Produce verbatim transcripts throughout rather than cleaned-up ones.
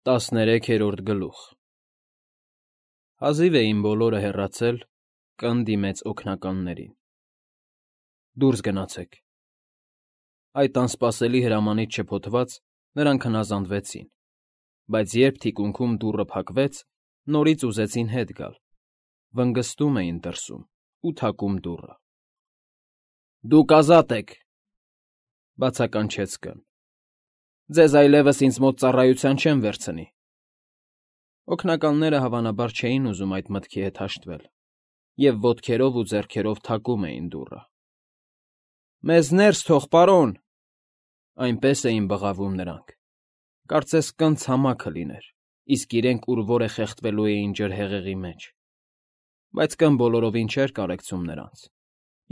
Տասներեքերորդ գլուխ Հազիվ էին բոլորը հեռացել, կն դիմեց օգնականներին. Դուրս գնացեք։ Այդ անսպասելի հրամանից շփոթված՝ նրանք հնազանդվեցին, բայց երբ թիկունքում դուռը փակվեց, նորից ուզեցին հետ գալ, վնգստում էին դրսում ու թակում դուռը։ ֊ Դուք ազատ եք,֊ բացականչեց կն։ Ձեզ այլևս ինձ մոտ ծառայության չեմ վերցնի։ Օգնականները հավանաբար չէին ուզում այդ մտքի հետ հաշտվել և ոտքերով ու ձեռքերով թակում էին դուռը։ ֊ Մեզ ներս թող, պարոն,֊ այնպես էին բղավում նրանք, կարծես կն ցամաքը լիներ, իսկ իրենք ուր որ է խեղդվելու էին ջրհեղեղի մեջ։ Բայց կն բոլորովին չէր կարեկցում նրանց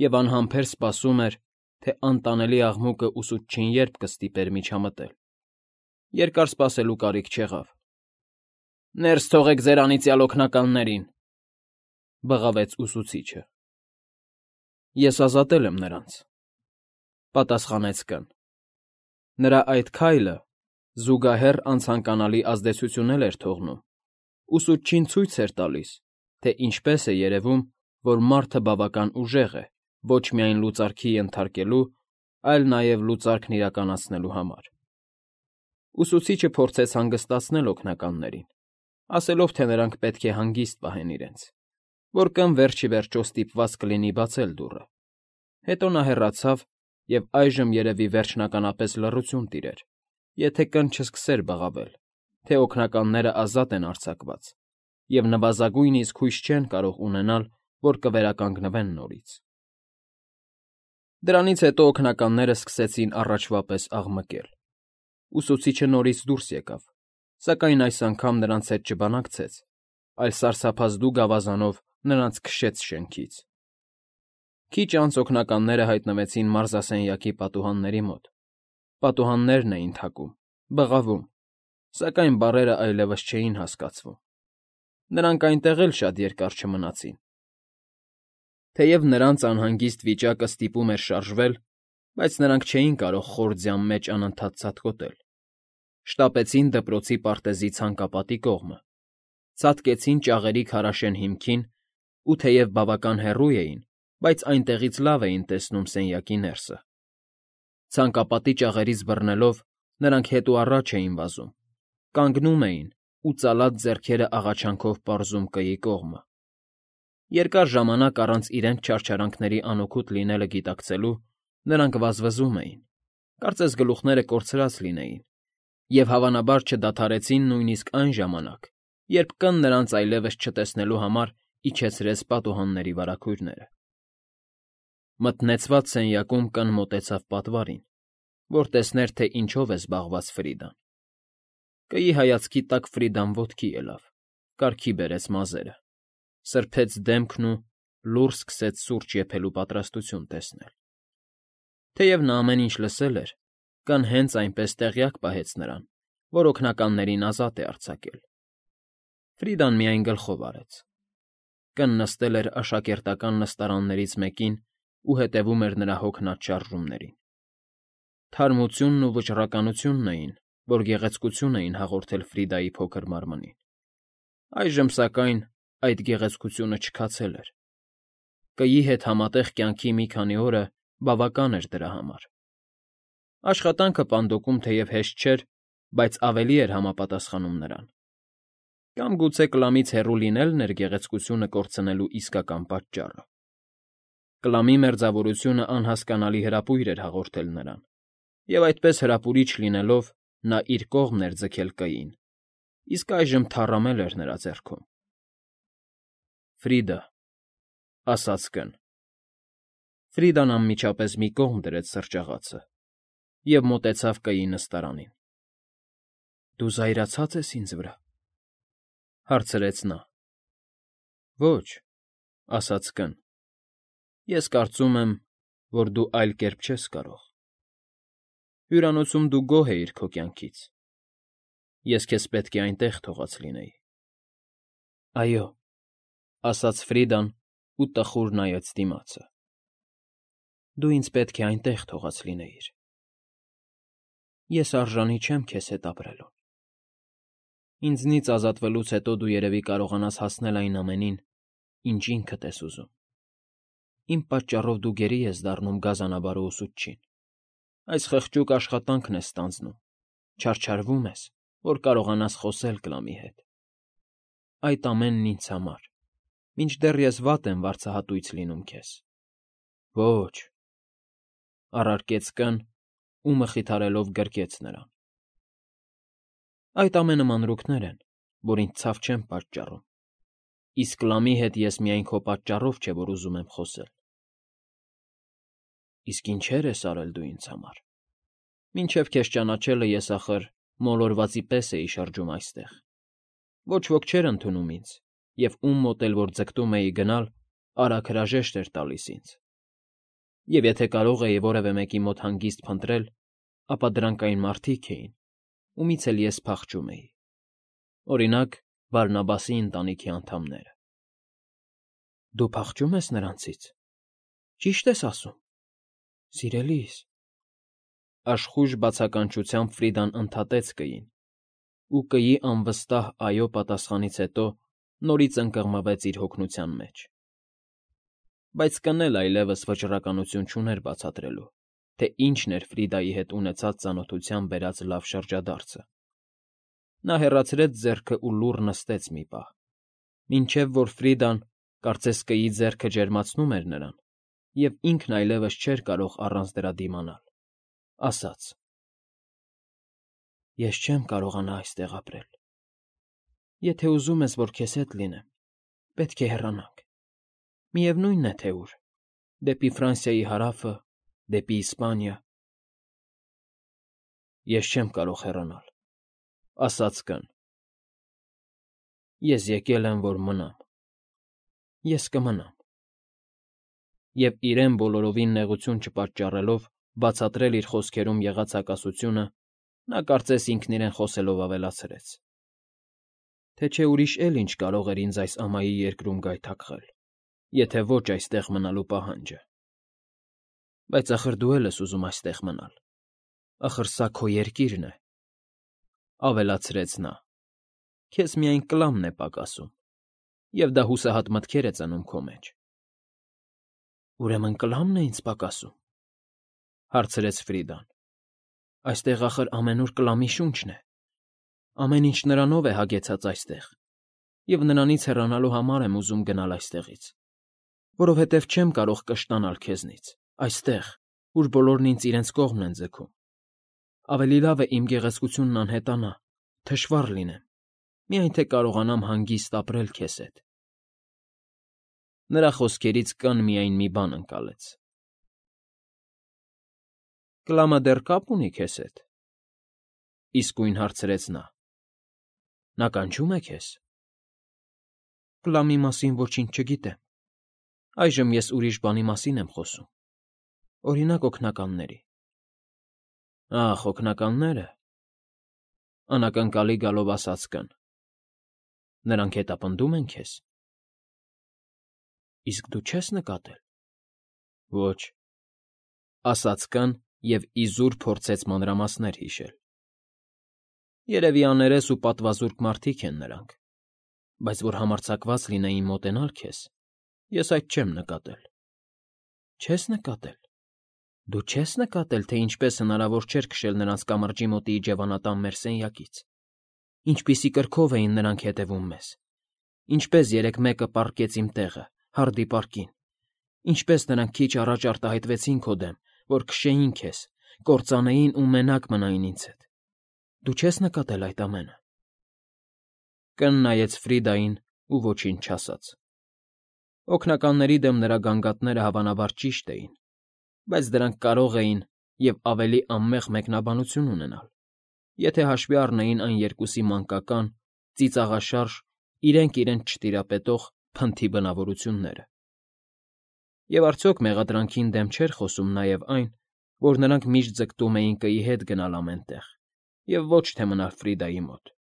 և անհամբեր սպասում էր, թե անտանելի աղմուկը ուսուցչին երբ կստիպեր միջամտել։ Երկար սպասելու կարիք չեղավ։ ֊ Ներս թողեք ձեր անիծյալ օգնականներին,֊ բղավեց ուսուցիչը։ ֊ Ես ազատել եմ նրանց,֊ պատասխանեց կն։ Նրա այդ քայլը զուգահեռ անցանկանալի ազդեցություն էր թողնում, ուսուցչին ցույց էր տալիս, թե ինչպես է երևում, որ մարդը բավական ուժեղ է ոչ միայն լուծարքի ենթարկելու, այլ նաև լուծարկն իրականացնելու համար։ Ուսուցիչը փորձեց հանգստացնել օգնականներին, ասելով, թե նրանք պետք է հանգիստ պահեն իրենց, որ կն վերջ ի վերջո ստիպված կլինի բացել դուռը։ Հետո նա հեռացավ, և այժմ երևի վերջնականապես լռություն տիրեր, եթե կն չսկսեր բղավել, թե օգնականներն ազատ են արձակված և նվազագույնիսկ հույս չեն կարող ունենալ, որ կվերականգնվեն նորից։ Դրանից հետո օգնականներն սկսեցին առաջվա պես աղմկել։ Ուսուցիչը նորից դուրս եկավ, սակայն այս անգամ նրանց հետ չբանակցեց, այլ սարսափազդու գավազանով նրանց քշեց շենքից։ Քիչ անց օգնականները հայտնվեցին մարզասենյակի պատուհանների մոտ։ Պատուհաններն էին թակում, բղավում, սակայն բառերն այլևս չէին հասկացվում։ Նրանք այնտեղ էլ շատ երկար չմնացին։ Թեև նրանց անհանգիստ վիճակը ստիպում էր շարժվել, բայց նրանք չէին կարող խոր ձյան մեջ անընդհատ ցատկոտել։ Շտապեցին դպրոցի պարտեզի ցանկապատի կողմը, ցատկեցին ճաղերի քարաշեն հիմքին ու թեև բավական հեռու էին, բայց այնտեղից լավ էին տեսնում սենյակի ներսը։ Ցանկապատի ճաղերից բռնելով՝ նրանք հետ ու առաջ էին վազում, կանգնում էին ու ծալած ձեռքերը աղաչանքով պարզում կայի կողմը։ Երկար ժամանակ առանց իրենց չարչարանքների անօգուտ լինելը գիտակցելու՝ նրանք վազվզում էին, կարծես գլուխները կորցրած լինեին, և հավանաբար չդադարեցին նույնիսկ այն ժամանակ, երբ կն նրանց այլևս չտեսնելու համար իջեցրեց պատուհանների վարագույրները։ Մթնեցված սենյակում կն մոտեցավ պատվարին, որ տեսներ, թե ինչով է զբաղված Ֆրիդան։ Կայի հայացքի տակ Ֆրիդան ոտքի ելավ, կարգի բերեց մազերը, սրբեց դեմքն ու լուռ սկսեց սուրճ եփելու պատրաստություն տեսնել։ Թեև նա ամեն ինչ լսել էր, կն հենց այնպես տեղյակ պահեց նրան, որ օգնականներին ազատ է արձակել։ Ֆրիդան միայն գլխով արեց։ Կն նստել էր աշակերտական նստարաններից մեկին ու հետևում էր նրա հոգնած շարժումներին։ Թարմությունն ու վճռականությունն էին, որ գեղեցկություն էին հաղորդել Ֆրիդայի փոքր մարմնին։ Այժմ, սակայն, այդ գեղեցկությունը չքացել էր։ Կայի հետ համատեղ կյանքի մի քանի օրը բավական էր դրա համար։ Աշխատանքը պանդոկում թեև հեշտ չէր, բայց ավելի էր համապատասխանում նրան։ Կամ գուցե կլամից հեռու լինելն էր գեղեցկությունը կորցնելու իսկական պատճառը։ Կլամի մերձավորությունը անհասկանալի հրապույր էր հաղորդել նրան, և այդպես հրապուրիչ լինելով՝ նա իր կողմն էր ձգել կային, իսկ այժմ թառամել էր նրա ձեռքում։ ֊ Ֆրիդա,֊ ասաց կն։ Ֆրիդան անմիջապես մի կողմ դրեց սրճաղացը և մոտեցավ կայի նստարանին։ ֊ Դու զայրացած ես ինձ վրա,֊ հարցրեց նա։ ֊ Ոչ,֊ ասաց կն։ Ես կարծում եմ, որ դու այլ կերպ չես կարող։ Հյուրանոցում դու գոհ էիր քո կյանքից։ Ես քեզ պետք է այնտեղ թողած լինեի։ ֊ Այո,֊ ասաց Ֆրիդան ու տխուր նայեց դիմացը,֊ դու ինձ պետք է այնտեղ թողած լինեիր։ Ես արժանի չեմ քեզ հետ ապրելուն։ Ինձնից ազատվելուց հետո դու երևի կարողանաս հասնել այն ամենին, ինչ ինքդ ես ուզում։ Իմ պատճառով դու գերի ես դառնում գազանաբարո ուսուցչին։ Այս խղճուկ աշխատանքն ես ստանձնում, չարչարվում ես, որ կարողանաս խոսել Կլամի հետ։ Այդ ամենն ինձ համար, մինչդեռ ես վատ եմ վարձահատույց լինում քեզ։ Ոչ, առարկեց կն ու մխիթարելով գրկեց նրան։ Այդ ամենը մանրուքներ են, որ ինձ ցավ չեն պատճառում, իսկ Կլամի հետ ես միայն քո պատճառով չէ, որ ուզում եմ խոսել։ Իսկ ինչեր ես արել դու ինձ համար։ Մինչև քեզ ճանաչելը ես ախր մոլորվածի պես էի շրջում այստեղ։ Ոչ ոք չէր ընդունում ինձ, և ում մոտ էլ որ ձգտում էի գնալ, արագ հրաժեշտ էր տալիս ինձ։ Եվ եթե կարող էի որևէ մեկի մոտ հանգիստ փնտրել, ապա դրանք այն մարդիկ էին, ումից էլ ես փախչում էի։ Օրինակ, Բարնաբասի ընտանիքի անդամները։ Դու փախչում ես նրանցից։ Ճիշտ ես ասում, սիրելիս։ Աշխույժ բացականչությամբ Ֆրիդան ընդհատեց կին, ու կիի անվստահ այո պատասխանից հետո նորից ընկղմվեց իր հոգնության մեջ։ Բայց կն էլ այլևս վճռականություն չուներ բացատրելու, թե ինչն էր Ֆրիդայի հետ ունեցած ծանոթության բերած լավ շրջադարձը։ Նա հեռացրեց ձեռքը ու լուռ նստեց մի պահ, մինչև որ Ֆրիդան, կարծես կիի ձեռքը ջերմացնում էր նրան, և ինքն այլևս չէր կարող առանց դրա դիմանալ, ասաց. Ես չեմ կարողանա այստեղ ապրել։ Եթե ուզում ես, որ քեզ հետ լինեմ, պետք է հեռանանք։ Միևնույն է, թե ուր, դեպի Ֆրանսիայի հարավը, դեպի Իսպանիա։ Ես չեմ կարող հեռանալ, ասաց կն։ Ես եկել եմ, որ մնամ։ Ես կմնամ։ Եվ իրեն բոլորովին նեղություն չպատճառելով բացատրել իր խոսքերում եղած հակասությունը, նա կարծես ինքն իրեն խոսելով ավելացրեց. Թե չէ ուրիշ էլ ինչ կարող էր ինձ այս ամայի երկրում գայթակղել, եթե ոչ այստեղ մնալու պահանջը։ Բայց ախր դու էլ ես ուզում այստեղ մնալ, ախր սա քո երկիրն է, ավելացրեց նա, քեզ միայն Կլամն է պակասում, և դա հուսահատ մտքեր է ծնում քո մեջ։ Ուրեմն Կլամն է ինձ պակասում, հարցրեց Ֆրիդան։ Այստեղ ախր ամենուր Կլամի շունչն է, ամեն ինչ նրանով է հագեցած այստեղ, և նրանից հեռանալու համար եմ ուզում գնալ այստեղից, որովհետև չեմ կարող կշտանալ քեզնից, այստեղ, ուր բոլորն ինձ իրենց կողմն են ձգում։ Ավելի լավ է իմ գեղեցկությունն անհետանա, թշվառ լինեմ, միայն թե կարողանամ հանգիստ ապրել քեզ հետ։ Նրա խոսքերից կն միայն մի բան ընկալեց. Կլամը դեռ կապ ունի քեզ հետ, իսկույն հարցրեց նա։ Նա կանչում է քեզ։ Կլամի մասին ոչինչ չգիտեմ։ Այժմ ես ուրիշ բանի մասին եմ խոսում, օրինակ օգնականների։ Ախ, օգնականները, անակնկալի գալով ասաց կն։ Նրանք հետապնդում են քեզ։ Իսկ դու չես նկատել։ Ոչ, ասաց կն և իզուր փորձեց մանրամասներ հիշել։ Երևի աներես ու պատվազուրկ մարդիկ են նրանք, բայց որ համարձակված լինեին մոտենալ քեզ, ես այդ չեմ նկատել։ Չես նկատել։ Դու չես նկատել, թե ինչպես հնարավոր չէր քշել նրանց կամրջի մոտի իջևանատան մեր սենյակից, ինչպիսի կրքով էին նրանք հետևում մեզ, ինչպես երեկ մեկը պառկեց իմ տեղը, հարդի պարկին, ինչպես նրանք քիչ առաջ արտահայտվեցին քո դեմ, որ քշեին քեզ, կործանեին ու մենակ մնային ինձ հետ։ Դու չես նկատել այդ ամենը։ Կն նայեց Ֆրիդային ու ոչինչ չասաց։ Օգնականների դեմ նրա գանգատները հավանաբար ճիշտ էին, բայց դրանք կարող էին և ավելի անմեղ մեկնաբանություն ունենալ, եթե հաշվի առնեին այն երկուսի մանկական, ծիծաղաշարժ, իրենք իրենց չտիրապետող փնթի բնավորությունները։ Եվ արդյոք մեղադրանքին դեմ չէր խոսում նաև այն, որ նրանք միշտ ձգտում էին կիի հետ գնալ ամեն տեղ, և ոչ թե մնալ Ֆրիդայի մոտ։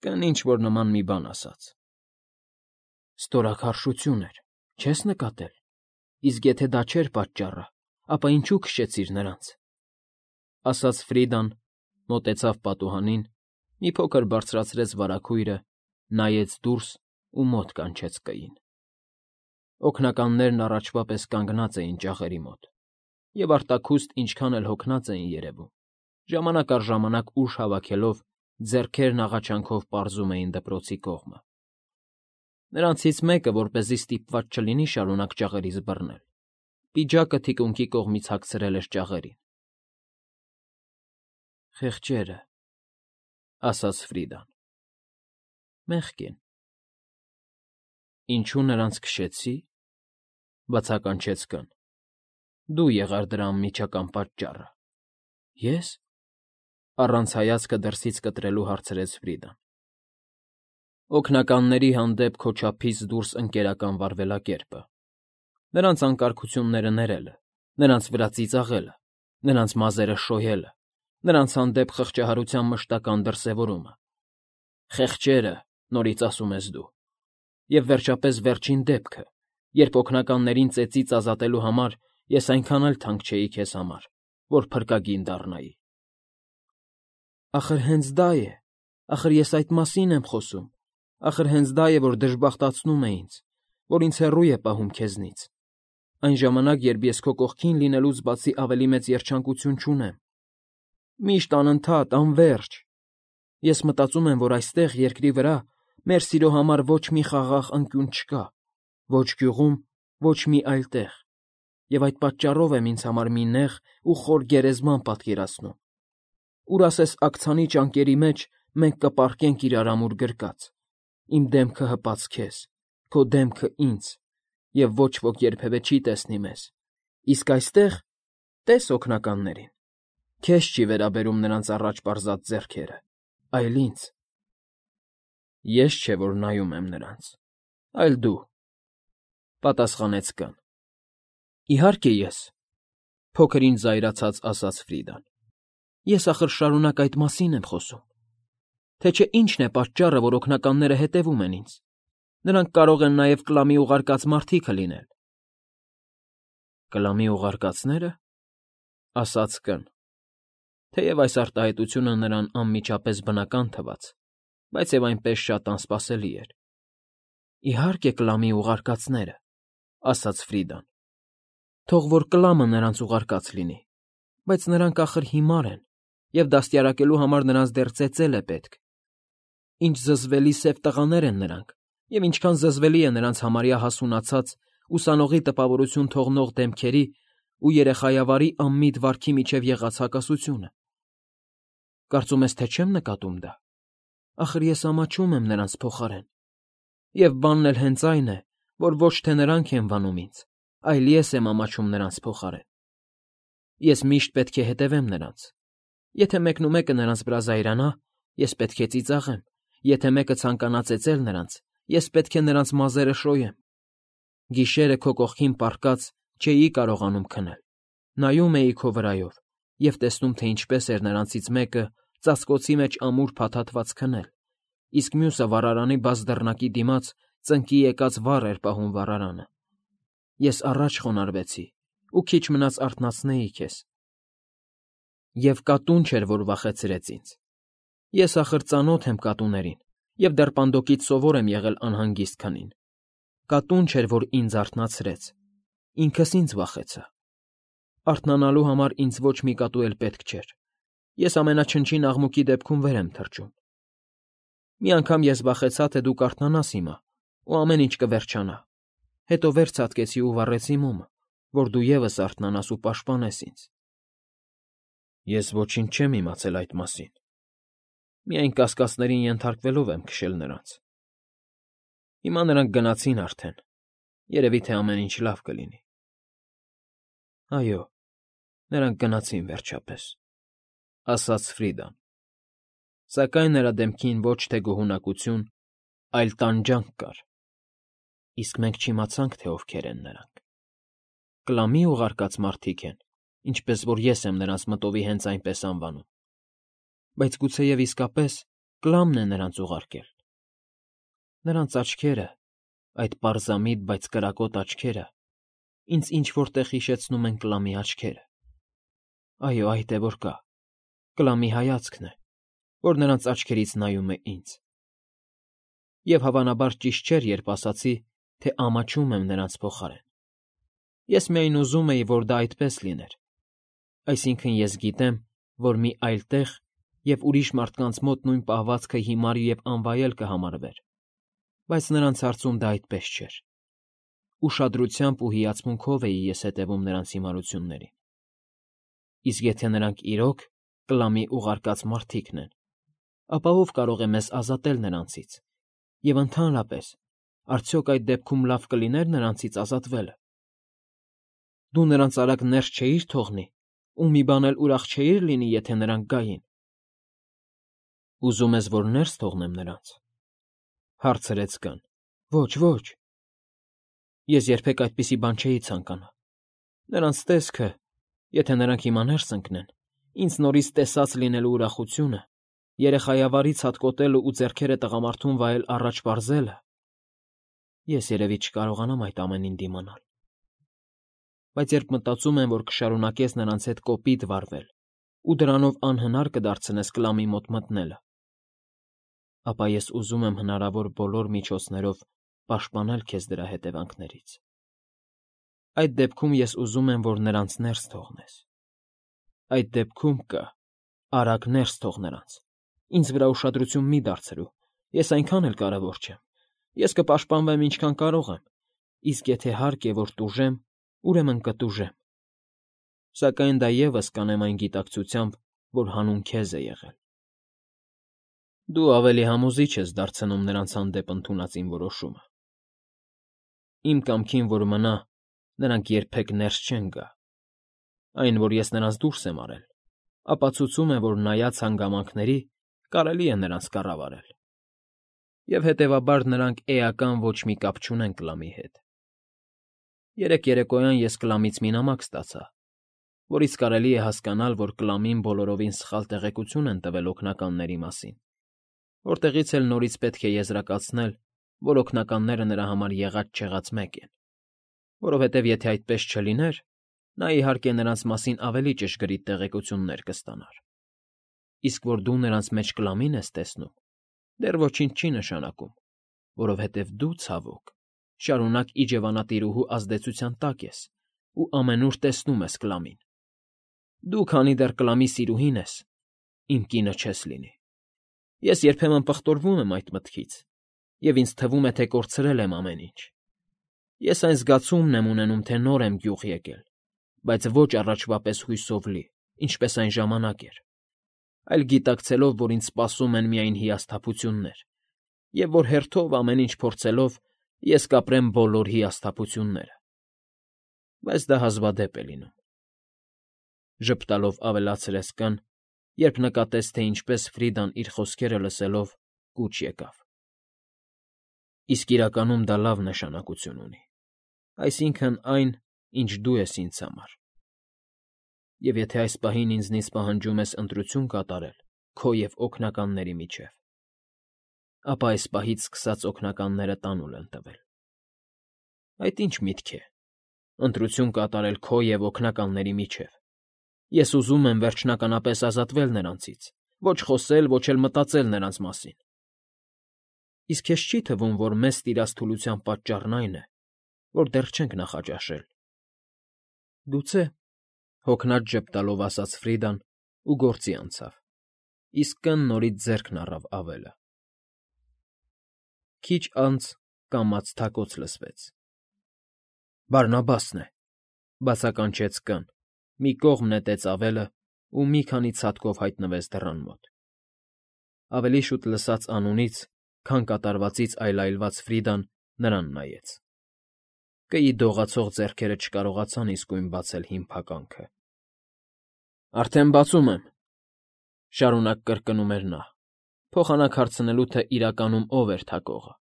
Կն ինչ֊որ նման մի բան ասաց. Ստորաքարշություն էր, չես նկատել, իսկ եթե դա չէր պատճառը, ապա ինչու քշեցիր նրանց, ասաց Ֆրիդան, մոտեցավ պատուհանին Մի փոքր բարձրացրեց վարագույրը, նայեց դուրս ու մոտ կանչեց կային։ Օգնականներն առաջվա պես կանգնած էին ջահերի մոտ, և արտաքուստ ինչքան էլ հոգնած էին երևում, ժամանակ առ ժամանակ ուժ հավաքելով, ձեռքերն աղաչանքով պարզում էին դպրոցի կողմը։ Նրանցից մեկը, որպեսզի ստիպված չլինի շարունակ ջաղերից բռնել, պիջակը թիկունքի կողմից հագցրել էր ջաղերին։ «Խեղճերը», ասաց Ֆրիդան։ «Մեղք են»։ «Ինչու նրանց քշեցի,֊ բացականչեց կին,֊ դու եղար դրա անմիջական պատճառը»։ «Ե՞ս»։ Առանց հայացքը դրսից կտրելու հարցրեց Ֆրիդան։ Օգնականների հանդեպ քո չափից դուրս ընկերական վարվելակերպը, նրանց անկարգությունները ներելը, նրանց վրա ծիծաղելը, նրանց մազերը շոյելը, նրանց հանդեպ խղճահարության մշտական դրսևորումը։ «Խեղճերը», նորից ասում ես դու։ Եվ վերջապես վերջին դեպքը, երբ օգնականներին ծեծից ազատելու համար ես այնքան էլ թանկ չէի քեզ համար, որ փրկագին դառնայի։ Ախր հենց դա է, ախր ես այդ մասին եմ խոսում, ախր հենց դա է, որ դժբախտացնում է ինձ, որ ինձ հեռու է պահում քեզնից, այն ժամանակ, երբ ես քո կողքին լինելուց բացի ավելի մեծ երջանկություն չունեմ։ Միշտ անընդհատ, անվերջ։ Ես մտածում եմ, որ այստեղ, երկրի վրա, մեր սիրո համար ոչ մի խաղաղ անկյուն չկա, ոչ գյուղում, ոչ մի այլ տեղ, և այդ պատճառով եմ ինձ համար մի նեղ ու խոր գերեզման պատկերացնում, ուր ասես աքցանի ճանկերի մեջ մենք կպառկենք իրար ամուր գրկած, իմ դեմքը հպած քեզ, քո դեմքը ինձ, և ոչ ոք երբևէ չի տեսնի մեզ, իսկ այստեղ տես օգնականներին, քեզ չի վերաբերում նրանց առաջ պարզած ձեռքերը, այլ ինձ։ Ես չէ, որ նայում եմ նրանց, այլ դու, պատասխանեց կին։ Իհարկե ես, փոքրինչ զայրացած ասաց Ֆրիդան։ Ես ախր շարունակ այդ մասին եմ խոսում, թե չէ ինչն է պատճառը, որ օգնականները հետևում են ինձ։ Նրանք կարող են նաև կլամի ուղարկած մարդիկը լինել։ Կլամի ուղարկածնե՞րը, ասաց կին, թեև այս արտահայտությունը նրան անմիջապես բնական թվաց, բայց և այնպես շատ անսպասելի էր։ Իհարկե կլամի ուղարկածները, ասաց Ֆրիդան։ Թող որ կլամը նրանց ուղարկած լինի, բայց նրանք ախր հիմար են, և դաստիարակելու համար նրանց դեռ ծեծել է պետք։ Ինչ զզվելի սև տղաներ են նրանք, և ինչքան զզվելի է նրանց համարյա հասունացած, ուսանողի տպավորություն թողնող դեմքերի ու երեխայավարի անմիտ վարքի միջև եղած հակասությունը։ Կարծում ես, թե չեմ նկատում դա։ Ախր ես ամաչում եմ նրանց փոխարեն։ Եվ բանն էլ հենց այն է, որ ոչ թե նրանք են վանում ինձ, այլ ես եմ ամաչում նրանց փոխարեն։ Ես միշտ պետք է հետևեմ նրանց։ Եթե մեկնումեկը նրանց վրա զայրանա, ես պետք է ծիծաղեմ, եթե մեկը ցանկանա ծեծել նրանց, ես պետք է նրանց մազերը շոյեմ։ Գիշերը քո կողքին պառկած չէի կարողանում քնել։ Նայում էի քո վրայով և տեսնում, թե ինչպես էր նրանցից մեկը ծածկոցի մեջ ամուր փաթաթված քնել, իսկ մյուսը վառարանի բաց դռնակի դիմաց ծնկի եկած վառ էր պահում վառարանը։ Ես առաջ խոնարհվեցի ու քիչ մնաց արթնացնեի քեզ։ Եվ կատուն չէր, որ վախեցրեց ինձ։ Ես ախր ծանոթ եմ կատուներին և դեռ պանդոկից սովոր եմ եղել անհանգիստ քնին։ Կատուն չէր, որ ինձ արթնացրեց, ինքս ինձ վախեցա։ Արթնանալու համար ինձ ոչ մի կատու էլ պետք չէր։ Ես ամենաչնչին աղմուկի դեպքում վեր եմ թռչում։ Մի անգամ ես վախեցա, թե դու կարթնանաս հիմա, ու ամեն ինչ կվերջանա։ Հետո վեր ցատկեցի ու վառեցի մոմը, որ դու ևս արթնանաս ու պաշտպանես ինձ։ Ես ոչինչ չեմ իմացել այդ մասին։ Միայն կասկածներին ենթարկվելով եմ քշել նրանց։ Հիմա նրանք գնացին արդեն, երևի թե ամեն ինչ լավ կլինի։ Այո, նրանք գնացին վերջապես, ասաց Ֆրիդան, սակայն նրա դեմքին ոչ թե գոհունակություն, այլ տանջանք կար։ Իսկ մենք չիմացանք, թե ովքեր են նրանք։ Կլամի ուղարկած մարդիկ են, ինչպես որ ես եմ նրանց մտովի հենց այնպես անվանում։ Բայց գուցեև իսկապես Կլամն է նրանց ուղարկել։ Նրանց աչքերը, այդ պարզամիտ, բայց կրակոտ աչքերը, ինձ ինչ֊որ տեղ հիշեցնում են Կլամի աչքերը։ Այո, այդ է որ կա, Կլամի հայացքն է, որ նրանց աչքերից նայում է ինձ։ Եվ հավանաբար ճիշտ չէր, երբ ասացի, թե ամաչում եմ նրանց փոխարեն։ Ես միայն ուզում էի, որ դա այդպես լիներ, այսինքն ես գիտեմ, որ մի այլ տեղ և ուրիշ մարդկանց մոտ նույն պահվածքը հիմար և անվայել կհամարվեր, բայց նրանց հարցում դա այդպես չէր։ Ուշադրությամբ ու հիացմունքով էի ես հետևում նրանց հիմարություններին։ Իսկ եթե նրանք իրոք կլամի ուղարկած մարդիկն են, ապա ով կարող է մեզ ազատել նրանցից, և ընդհանրապես, արդյոք այդ դեպքում լավ կլիներ նրանցից ազատվելը։ Դու նրանց արագ ներս չէիր թողնի, ու մի բան էլ ուրախ չէիր լինի, եթե նրանք գային։ Ուզում ես, որ ներս թողնեմ նրանց, հարցրեց Կան։ Ոչ, ոչ։ Ես երբեք այդպիսի բան չէի ցանկանա։ Նրանց տեսքը, եթե նրանք հիմա ներս ընկնեն, ինձ նորից տեսած լինելու ուրախությունը, երեխայավարից հատկոտելը ու ձեռքերը տղամարդուն վայել առաջ պարզելը… Ես երևի չկարողանամ այդ ամենին դիմանալ։ Բայց երբ մտածում եմ, որ կշարունակես նրանց հետ կոպիտ վարվել ու դրանով անհնար կդարձնես Կլամի մոտ մտնելը, ապա ես ուզում եմ հնարավոր բոլոր միջոցներով պաշտպանել քեզ դրա հետևանքներից։ Այդ դեպքում ես ուզում եմ, որ նրանց ներս թողնես։ Այդ դեպքում կա, արագ ներս թող նրանց։ Ինձ վրա ուշադրություն մի դարձրու, ես այնքան էլ կարևոր չեմ։ Ես կպաշտպանվեմ ինչքան կարող եմ, իսկ եթե հարկ է, որ տուժեմ, ուրեմն կտուժեմ։ Սակայն դա ևս կանեմ այն գիտակցությամբ, որ հանուն քեզ է եղել։ Դու ավելի համոզիչ ես դարձնում նրանց հանդեպ ընդունած իմ որոշումը։ Իմ կամքին որ մնա, նրանք երբեք ներս չեն գա։ Այն, որ ես նրանց դուրս եմ արել, ապացուցում է, որ նայած հանգամանքների, կարելի է նրանց կառավարել։ Եվ հետևաբար նրանք էական ոչ մի կապ չունեն Կլամի հետ։ Երեկ երեկոյան ես Կլամից մի նամակ ստացա, որից կարելի է հասկանալ, որ Կլամին բոլորովին սխալ տեղեկություն են տվել օգնականների մասին, որտեղից էլ նորից պետք է եզրակացնել, որ օգնականները նրա համար եղած֊չեղած մեկ են, որովհետև եթե այդպես չլիներ, նա, իհարկե, նրանց մասին ավելի ճշգրիտ տեղեկություններ կստանար։ Իսկ որ դու նրանց մեջ Կլամին ես տեսնում, դեռ ոչինչ չի նշանակում, որովհետև դու, ցավոք, շարունակ իջևանատիրուհու ազդեցության տակ ես ու ամենուր տեսնում ես Կլամին։ Դու, քանի դեռ Կլամի սիրուհին ես, իմ կինը չես լինի։ Ես երբեմն պղտորվում եմ այդ մտքից, և ինձ թվում է, թե կորցրել եմ ամեն ինչ։ Ես այն զգացումն եմ ունենում, թե նոր եմ գյուղ եկել, բայց ոչ առաջվա պես հույսով լի, ինչպես այն ժամանակ էր, այլ գիտակցելով, որ ինձ սպասում են միայն հիասթափություններ, և որ հերթով ամեն ինչ փորձելով ես կապրեմ բոլոր հիասթափությունները։ Բայց դա հազվադեպ է լինում,֊ ժպտալով ավելացրեց Կան, երբ նկատեց, թե ինչպես Ֆրիդան իր խոսքերը լսելով կուչ եկավ։ Իսկ իրականում դա լավ նշանակություն ունի, այսինքն՝ այն, ինչ դու ես ինձ համար։ Եվ եթե այս պահին ինձնից պահանջում ես ընտրություն կատարել քո և օգնականների միջև, ապա այս պահից սկսած օգնականները տանուլ են տվել։ Այդ ի՞նչ միտք է՝ ընտրություն կատարել քո և օգնականների միջև։ Ես ուզում եմ վերջնականապես ազատվել նրանցից, ոչ խոսել, ոչ էլ մտածել նրանց մասին։ Իսկ քեզ չի՞ թվում, որ մեզ տիրած թուլության պատճառն այն է, որ դեռ չենք նախաճաշել։ Գուցե,֊ հոգնած ժպտալով ասաց Ֆրիդան ու գործի անցավ, իսկ Կն նորից ձեռքն առավ ավելը։ Քիչ անց կամաց թակոց լսվեց։ Բարնաբասն է,֊ բացականչեց Կն, մի կողմ նետեց ավելը ու մի քանի ցատկով հայտնվեց դռան մոտ։ Ավելի շուտ լսած անունից, քան կատարվածից այլայլված Ֆրիդան նրան նայեց։ Կըի դողացող ձեռքերը չկարողացան իսկույն բացել հին փականքը։ Արդեն բացում եմ,֊ շարունակ կրկնում էր նա, փոխանակ հարցնելու, թե իրականում ով էր թակողը։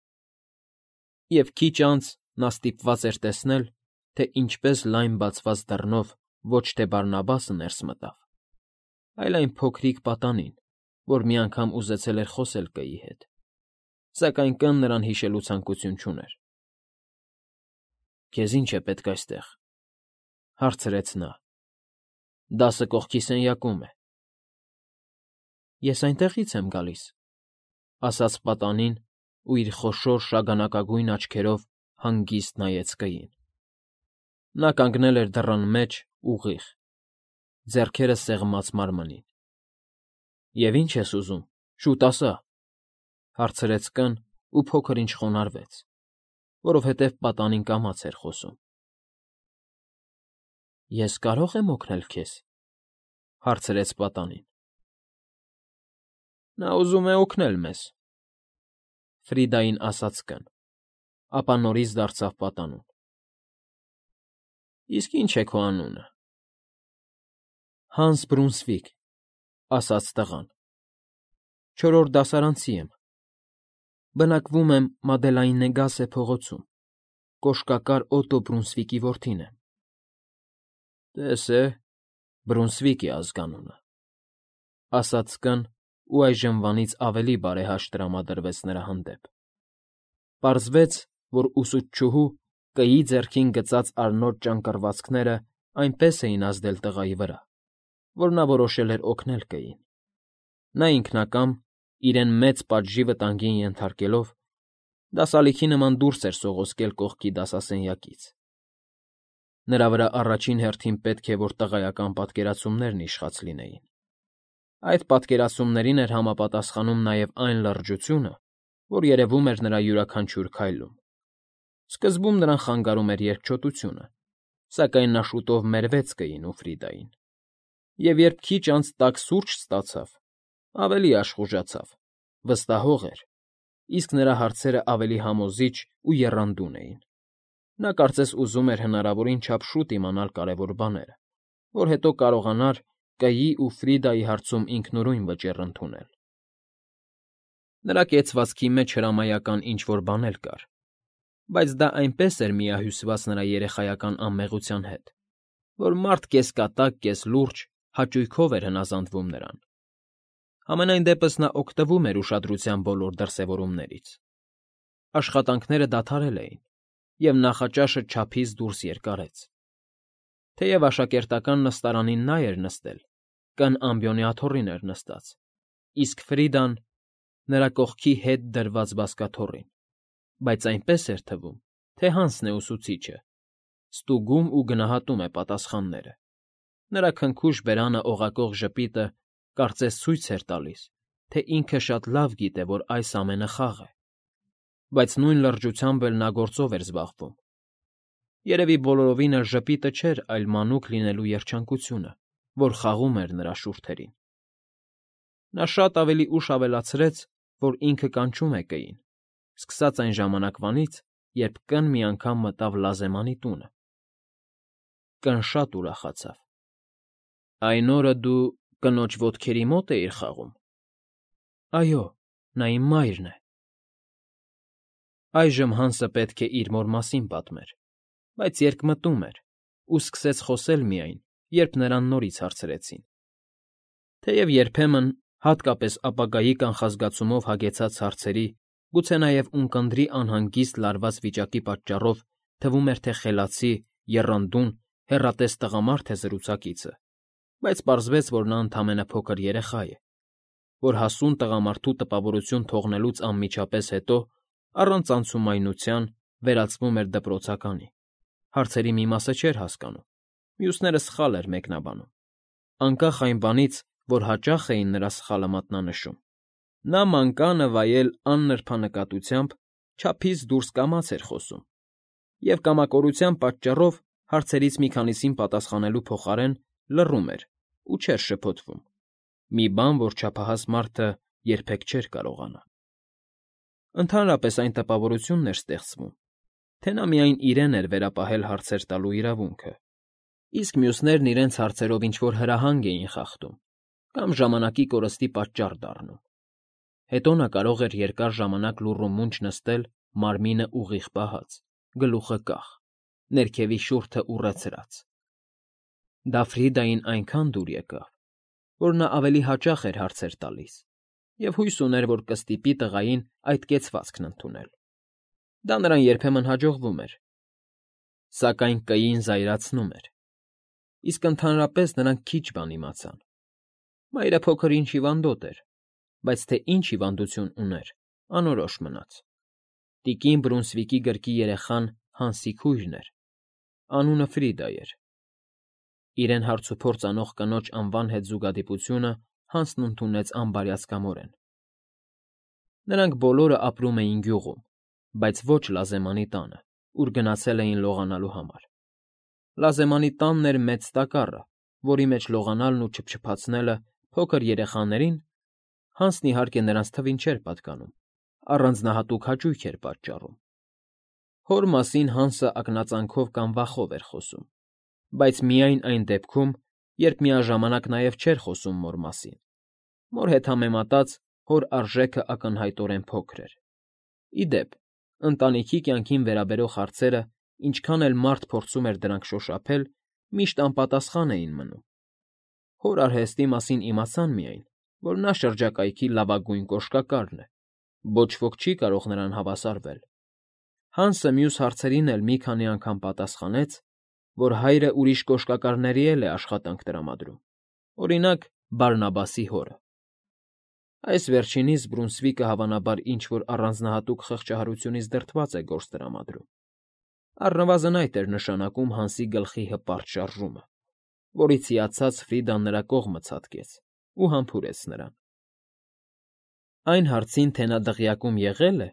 Եվ քիչ անց նա ստիպված էր տեսնել, թե ինչպես լայն բացված դռնով ոչ թե Բարնաբասը ներս մտավ, այլ այն փոքրիկ պատանին, որ մի անգամ ուզեցել էր խոսել Կըի հետ, սակայն Կն նրան հիշելու ցանկություն չուներ։ Քեզ ի՞նչ է պետք այստեղ,֊ հարցրեց նա։ Դասը կողքի սենյակում է։ Ես այնտեղից եմ գալիս, ասաց պատանին ու իր խոշոր շագանակագույն աչքերով հանգիստ նայեց կգին. նա կանգնել էր դռան մեջ ուղիղ, ձեռքերը սեղմած մարմնին։ ֊ Եվ ի՞նչ ես ուզում, շուտ ասա,֊ հարցրեց կն ու փոքր-ինչ խոնարհվեց, որովհետև պատանին կամաց էր խոսում։ ֊ Ես կարո՞ղ եմ օգնել քեզ,֊ հարցրեց պատանին։ Նա ուզում է օգնել մեզ,֊ Ֆրիդային ասաց կն, ապա նորից դարձավ պատանուն։ ֊ Իսկ ի՞նչ է քո անունը։ ֊ Հանս Բրունսվիկ,֊ ասաց տղան,֊ չորրորդ դասարանցի եմ, բնակվում եմ Մադելայննեգասե փողոցում, կոշկակար Օտո Բրունսվիկի որդին եմ։ ֊ Տես է, Բրունսվիկ է ազգանունը,֊ ասաց կն ու այժմվանից ավելի բարեհաշտ տրամադրվեց նրա հանդեպ։ Պարզվեց, որ ուսուցչուհու կգի ձեռքին գծած արնոտ ճանկռվածքները այնպես էին ազդել տղայի վրա, որ նա որոշել էր օգնել կգին։ Նա ինքնակամ, իրեն մեծ պատժի վտանգին ենթարկելով, դասալիքի նման դուրս էր սողոսկել կողքի դասասենյակից։ Նրա վրա առաջին հերթին պետք է որ տղայական պատկերացումներն իշխած լինեին։ Այդ պատկերացումներին էր համապատասխանում նաև այն լրջությունը, որ երևում էր նրա յուրաքանչյուր քայլում։ Սկզբում նրան խանգարում էր երկչոտությունը, սակայն նա շուտով մերվեց կգին ու Ֆրիդային, և երբ քիչ անց տաք սուրճ ստացավ, ավելի աշխուժացավ, վստահող էր, իսկ նրա հարցերը ավելի համոզիչ ու եռանդուն էին։ Նա կարծես ուզում էր հնարավորին չափ շուտ իմանալ կարևոր բաները, որ հետո կարողանար կգի ու Ֆրիդայի հարցում ինքնուրույն վճիռ ընդունել։ Նրա կեցվածքի մեջ հրամայական ինչ֊որ բան էլ կար, բայց դա այնպես էր միահյուսված նրա երեխայական անմեղության հետ, որ մարդ կես֊կատակ, կես֊լուրջ հաճույքով էր հնազանդվում նրան։ Համենայն դեպս նա օգտվում էր ուշադրության բոլոր դրսևորումներից։ Աշխատանքները դադարել էին, և նախաճաշը չափից դուրս երկարեց։ Թեև աշակերտական նստարանին նա էր նստել, կն ամբիոնի աթոռին էր նստած, իսկ Ֆրիդան՝ նրա կողքի հետ դրված բազկաթոռին, բայց այնպես էր թվում, թե Հանսն է ուսուցիչը, ստուգում ու գնահատում է պատասխանները։ Նրա քնքուշ բերանը օղակող ժպիտը կարծես ցույց էր տալիս, թե ինքը շատ լավ գիտե, որ այս ամենը խաղ է, բայց նույն լրջությամբ էլ նա գործով էր զբաղվում։ Երևի բոլորովին էլ ժպիտը չէր, այլ մանուկ լինելու երջանկությունը, որ խաղում էր նրա շուրթերին։ Նա շատ ավելի ուշ ավելացրեց, որ ինքը կանչում է կգին, սկսած այն ժամանակվանից, երբ կն մի անգամ մտավ Լազեմանի տունը։ Կն շատ ուրախացավ։ ֊ Այն օրը դու կնոջ ոտքերի մո՞տ էիր խաղում։ ֊ Այո, նա իմ մայրն է։ Այժմ Հանսը պետք է իր մոր մասին պատմեր, բայց երկմտում էր ու սկսեց խոսել միայն, երբ նրան նորից հարցրեցին։ Թեև երբեմն, հատկապես ապագայի կանխազգացումով հագեցած հարցերի, գուցե նաև ունկնդրի անհանգիստ լարված վիճակի պատճառով թվում էր, թե խելացի, եռանդուն, հեռատես տղամարդ է զրուցակիցը, բայց պարզվեց, որ նա ընդամենը փոքր երեխա է, որ հասուն տղամարդու տպավորություն թողնելուց անմիջապես հետո, առանց անցումայնության, վերածվում էր դպրոցականի, հարցերի մի մասը չէր հասկանում, մյուսները սխալ էր մեկնաբանում։ Անկախ այն բանից, որ հաճախ էին նրա սխալը մատնանշում, նա մանկանը վայել աննրբանկատությամբ չափից դուրս կամաց էր խոսում, և կամակորության պատճառով հարցերից մի քանիսին պատասխանելու փոխարեն լռում էր ու չէր շփոթվում, մի բան, որ չափահաս մարդը երբեք չէր կարողանա։ Ընդհանրապես այն տպավորությունն էր ստեղծվում, թե նա միայն իրեն էր վերապահել հարցեր տալու իրավունքը, իսկ մյուսներն իրենց հարցերով ինչ֊որ հրահանգ էին խախտում կամ ժամանակի կորստի պատճառ դառնում։ Հետո նա կարող էր երկար ժամանակ լուռ ու մունջ նստել մարմինը ուղիղ պահած, գլուխը կախ, ներքևի շուրջը ուռեցրած։ Դա Ֆրիդային այնքան դուր եկավ, որ նա ավելի հաճախ էր հարցեր տալիս և հույս ուներ, որ կստիպի տղային այդ կեցվածքն ընդունել։ Դա նրան երբեմն հաջողվում էր, սակայն կգին զայրացնում էր, իսկ ընդհանրապես նրանք քիչ բան իմացան։ Մայրը փոքր֊ինչ հիվանդոտ էր, բայց թե ինչ հիվանդություն ուներ, անորոշ մնաց։ Տիկին Բրունսվիկի գրկի երեխան Հանսի քույրն էր, անունը Ֆրիդա էր։ Իրեն հարցուփորձ անող կնոջ անվան հետ զուգադիպությունը Հանսն ընդունեց անբարյացկամորեն։ Նրանք բոլորը ապրում էին գյուղում, բայց ոչ Լազեմանի տանը, ուր գնացել էին լողանալու համար։ Լազեմանի տանն էր մեծ տակառը, որի մեջ լողանալն ու չփչփացնելը փոքր երեխաներին, Հանսն իհարկե նրանց թվին չէր պատկանում, առանձնահատուկ հաճույք էր պատճառում։ Հոր մասին Հանսը ակնածանքով կամ վախով էր խոսում, բայց միայն այն դեպքում, երբ միաժամանակ նաև չէր խոսում մոր մասին։ Մոր հետ համեմատած հոր արժեքը ակնհայտորեն փոքր էր։ Ի դեպ, ընտանիքի կյանքին վերաբերող հարցերը, ինչքան էլ մարդ փորձում էր դրանք շոշափել, միշտ անպատասխան էին մնում։ Հոր արհեստի մասին իմացան միայն, որ նա շրջակայքի լավագույն կոշկակարն է, ոչ ոք չի կարող նրան հավասարվել։ Հանսը մյուս հարցերին էլ մի քանի անգամ պատասխանեց, որ հայրը ուրիշ կոշկակարների էլ է աշխատանք տրամադրում, օրինակ, Բարնաբասի հորը։ Այս վերջինիս Բրունսվիկը հավանաբար ինչ֊որ առանձնահատուկ խղճահարությունից դրդված է գործ տրամադրում։ Առնվազն այդ էր նշանակում Հանսի գլխի հպարտ շարժումը, որից հիացած Ֆրիդան նրա կողմը ցատկեց ու համբուրեց նրան։ Այն հարցին, թե նա դղյակում եղե՞լ է,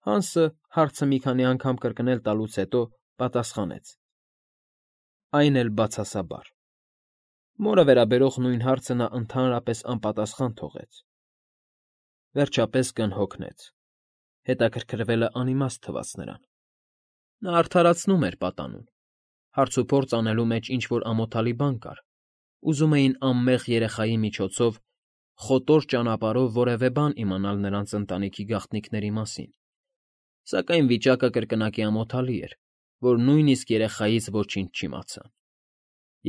Հանսը, հարցը մի քանի անգամ կրկնել տալուց հետո, պատասխանեց. Այն էլ բացասաբար։ Մորը վերաբերող նույն հարցը նա ընդհանրապես անպատասխան թողեց։ Վերջապես կն հոգնեց։ Հետաքրքրվելը անիմաստ թվաց նրան։ Նա արդարացնում էր պատանուն։ Հարցուփորձ անելու մեջ ինչ֊որ ամոթալի բան կար։ Ուզում էին անմեղ երեխայի միջոցով, խոտոր ճանապարհով որևէ բան իմանալ նրանց ընտանիքի գաղտնիքների մասին։ Սակայն վիճակը կրկնակի ամոթալի էր, որ նույնիսկ երեխայից ոչինչ չիմացան։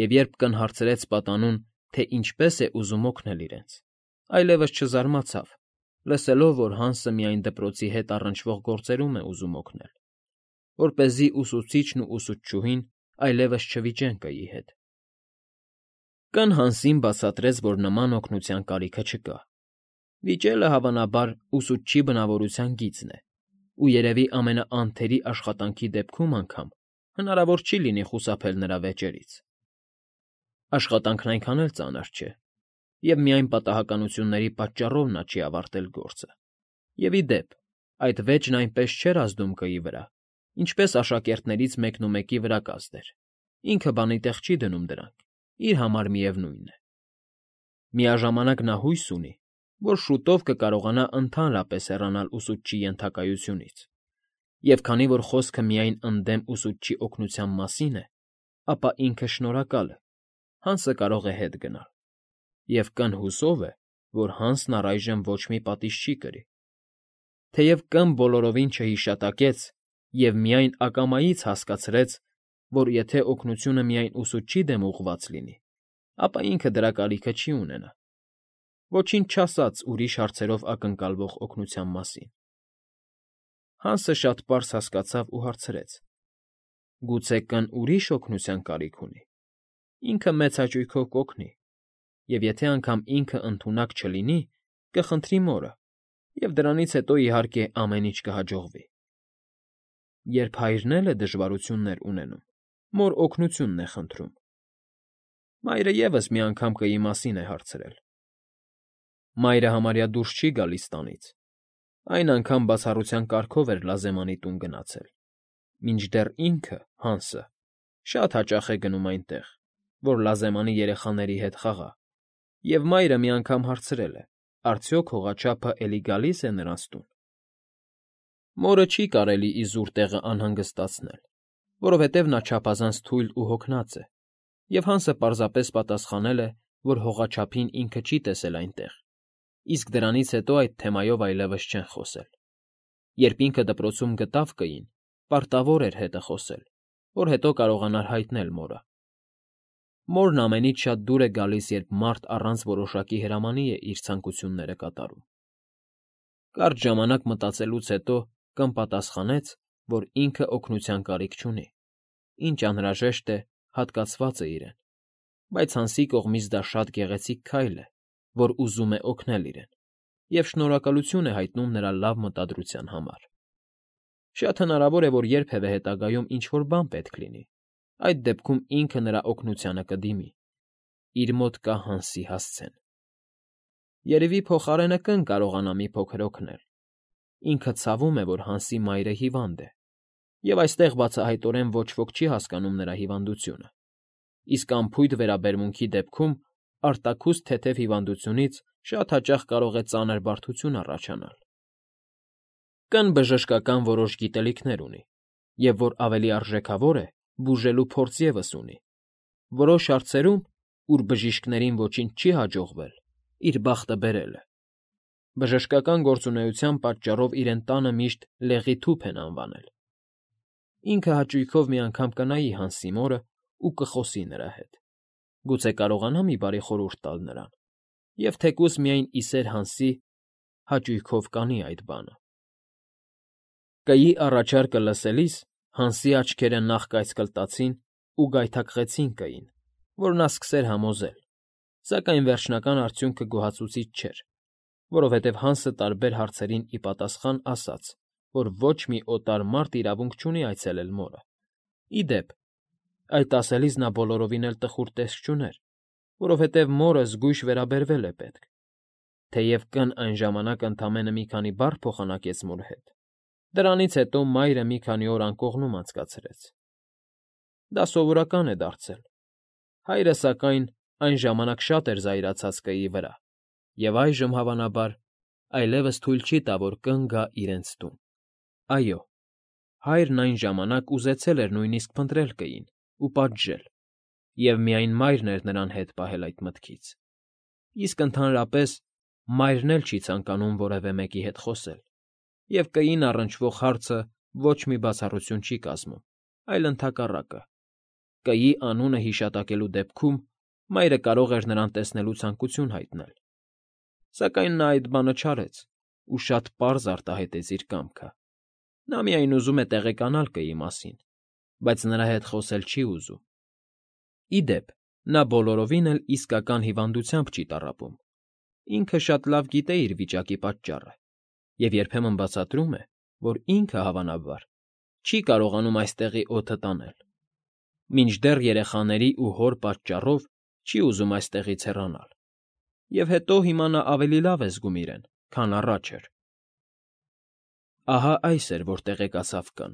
Եվ երբ կն հարցրեց պատանուն, թե ինչպես է ուզում օգնել իրենց, այլևս չզարմացավ, լսելով, որ Հանսը միայն դպրոցի հետ առնչվող գործերում է ուզում օգնել, որպեսզի ուսուցիչն ու ուսուցչուհին այլևս չվիճեն կայի հետ։ Կն Հանսին բացատրեց, որ նման օգնության կարիքը չկա։ Վիճելը, հավանաբար, ուսուցչի բնավորության գիծն է, ու երևի ամենաանթերի աշխատանքի դեպքում անգամ հնարավոր չի լինի խուսափել նրա վեճերից։ Աշխատանքն այնքան էլ ծանր չէ, և միայն պատահականությունների պատճառով նա չի ավարտել գործը։ Եվ ի դեպ, այդ վեճն այնպես չէր ազդում կայի վրա, ինչպես աշակերտներից մեկնումեկի վրա կազդեր։ Ինքը բանի տեղ չի դնում դրանք, իր համար միևնույն է։ Միաժամանակ նա հույս ունի, որ շուտով կկարողանա ընդհանրապես հեռանալ ուսուցչի ենթակայությունից, և քանի որ խոսքը միայն ընդդեմ ուսուցչի օգնության մասին է, ապա ինքը շնորհակալ է, Հանսը կարող է հետ գնալ, և կն հուսով է, որ Հանսն առայժմ ոչ մի պատիժ չի կրի։ Թեև Կ֊ն բոլորովին չհիշատակեց և միայն ակամայից հասկացրեց, որ եթե օգնությունը միայն ուսուցչի դեմ ուղղված լինի, ապա ինքը դրա կարիքը չի ունենա, ոչինչ չասած ուրիշ հարցերով ակնկալվող օգնության մասին։ Հանսը շատ պարզ հասկացավ ու հարցրեց. գուցե Կ֊ն ուրիշ օգնության կարիք ունի։ Ինքը մեծ հաճույքով կօգնի, և եթե անգամ ինքը ընդունակ չլինի, կխնդրի մորը, և դրանից հետո, իհարկե, ամեն ինչ կհաջողվի։ Երբ հայրն էլ է դժվարություններ ունենում, մոր օգնությունն է խնդրում։ Մայրը ևս մի անգամ կայի մասին է հարցրել։ Մայրը համարյա դուրս չի գալիս տանից, այն անգամ բացառության կարգով էր Լազեմանի տուն գնացել, մինչդեռ ինքը, Հանսը, շատ հաճախ է գնում այնտեղ, որ Լազեմանի երեխաների հետ խաղա, և մայրը մի անգամ հարցրել է. արդյոք հողաչափը էլի գալի՞ս է նրանց տուն։ Մորը չի կարելի իզուր տեղը անհանգստացնել, որովհետև նա չափազանց թույլ ու հոգնած է, և Հանսը պարզապես պատասխանել է, որ հողաչափին ինքը չի տեսել այնտեղ, իսկ դրանից հետո այդ թեմայով այլևս չեն խոսել։ Երբ ինքը դպրոցում գտավ կային, պարտավոր էր հետը խոսել, որ հետո կարողանար հայտնել մորը։ Մորն ամենից շատ դուր է գալիս, երբ մարդ առանց որոշակի հրամանի է իր ցանկությունները կատարում։ Կարճ ժամանակ մտածելուց հետո Կ֊ն պատասխանեց, որ ինքը օգնության կարիք չունի, ինչ անհրաժեշտ է, հատկացված է իրեն, բայց Հանսի կողմից դա շատ գեղեցիկ քայլ է, որ ուզում է օգնել իրեն, և շնորհակալություն է հայտնում նրա լավ մտադրության համար։ Շատ հնարավոր է, որ երբևէ հետագայում ինչ-որ բան պետք լինի, այդ դեպքում ինքը նրա օգնությանը կդիմի։ Իր մոտ կա Հանսի հասցեն։ Երևի փոխարենը կն կարողանա մի փոքր օգնել։ Ինքը ցավում է, որ Հանսի մայրը հիվանդ է, և այստեղ բացահայտորեն ոչ ոք չի հասկանում նրա հիվանդությունը, իսկ անփույթ վերաբերմունքի դեպքում արտաքուստ թեթև հիվանդությունից շատ հաճախ կարող է ծանր բարդություն առաջանալ։ Կն բժշկական որոշ գիտելիքներ ունի, և որ ավելի արժեքավոր է, բուժելու փորձ ևս ունի։ Որոշ հարցերում, ուր բժիշկներին ոչինչ չի հաջողվել, իր բախտը բերել է։ Բժշկական գործունեության պատճառով իրեն տանը միշտ լեղի թուփ են անվանել։ Ինքը հաճույքով մի անգամ կնայի Հանսի մորը ու կխոսի նրա հետ։ Գուցե կարողանա մի բարի խորհուրդ տալ նրան, և թեկուզ միայն ի սեր Հանսի հաճույքով կանի այդ բանը։ Կգի առաջարկը լսելիս Հանսի աչքերը նախ կայծկլտացին ու գայթակղեցին Կային, որ նա սկսեր համոզել, սակայն վերջնական արդյունքը գոհացուցիչ չէր, որովհետև Հանսը տարբեր հարցերին ի պատասխան ասաց, որ ոչ մի օտար մարդ իրավունք չունի այցելել մորը։ Ի դեպ, այդ ասելիս նա բոլորովին էլ տխուր տեսք չուներ, որովհետև մորը զգույշ վերաբերվել է պետք, թեև կն այն ժամանակ ընդամենը մի քանի բառ փոխանակեց մոր հետ։ Դրանից հետո մայրը մի քանի օր անկողնում անցկացրեց։ Դա սովորական է դարձել։ Հայրը, սակայն, այն ժամանակ շատ էր զայրացած Կիի վրա, և այժմ, հավանաբար, այլևս թույլ չի տա, որ կն գա իրենց տուն։ Այո, հայրն այն ժամանակ ուզեցել էր նույնիսկ փնտրել Կիին ու պատժել, և միայն մայրն էր նրան հետ պահել այդ մտքից։ Իսկ ընդհանրապես մայրն էլ չի ցանկանում որևէ մեկի հետ խոսել, և Կիին առնչվող հարցը ոչ մի բացառություն չի կազմում, այլ ընդհակառակը։ Կիի անունը հիշատակելու դեպքում մայրը կարող էր նրան տեսնելու ցանկություն հայտնել։ Սակայն նա այդ բանը չարեց ու շատ պարզ արտահայտեց իր կամքը։ Նա միայն ուզում է տեղեկանալ Կիի մասին, բայց նրա հետ խոսել չի ուզում։ Ի դեպ, նա բոլորովին էլ իսկական հիվանդությամբ չի տառապում։ Ինքը շատ լավ գիտե իր վիճակի պատճառը և երբեմն բացատրում է, որ ինքը, հավանաբար, չի կարողանում այստեղի օդը տանել։ Մինչդեռ երեխաների ու հոր պատճառով չի ուզում այստեղից հեռանալ, և հետո հիմա նա ավելի լավ է զգում իրեն, քան առաջ էր։ Ահա այս էր, որ տեղեկացավ Կն։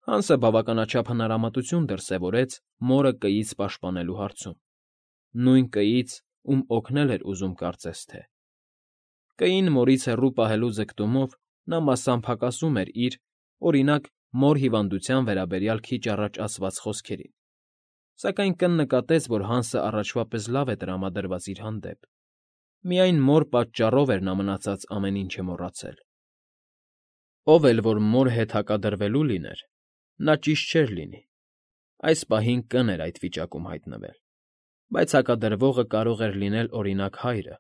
Հանսը բավականաչափ հնարամտություն դրսևորեց մորը Կիից պաշտպանելու հարցում, նույն Կիից, ում օգնել էր ուզում կարծես թե։ Կիին մորից հեռու պահելու ձգտումով նա մասամբ հակասում էր իր, օրինակ, մոր հիվանդության վերաբերյալ քիչ առաջ ասված խոսքերին, սակայն Կն նկատեց, որ Հանսը առաջվա պես լավ է տրամադրված իր հանդեպ։ Միայն մոր պատճառով էր նա մնացած ամեն ինչը մոռացել։ Ով էլ որ մոր հետ հակադրվելու լիներ, նա ճիշտ չէր լինի։ Այս պահին Կն էր այդ վիճակում հայտնվել, բայց հակադրվողը կարող էր լինել, օրինակ, հայրը։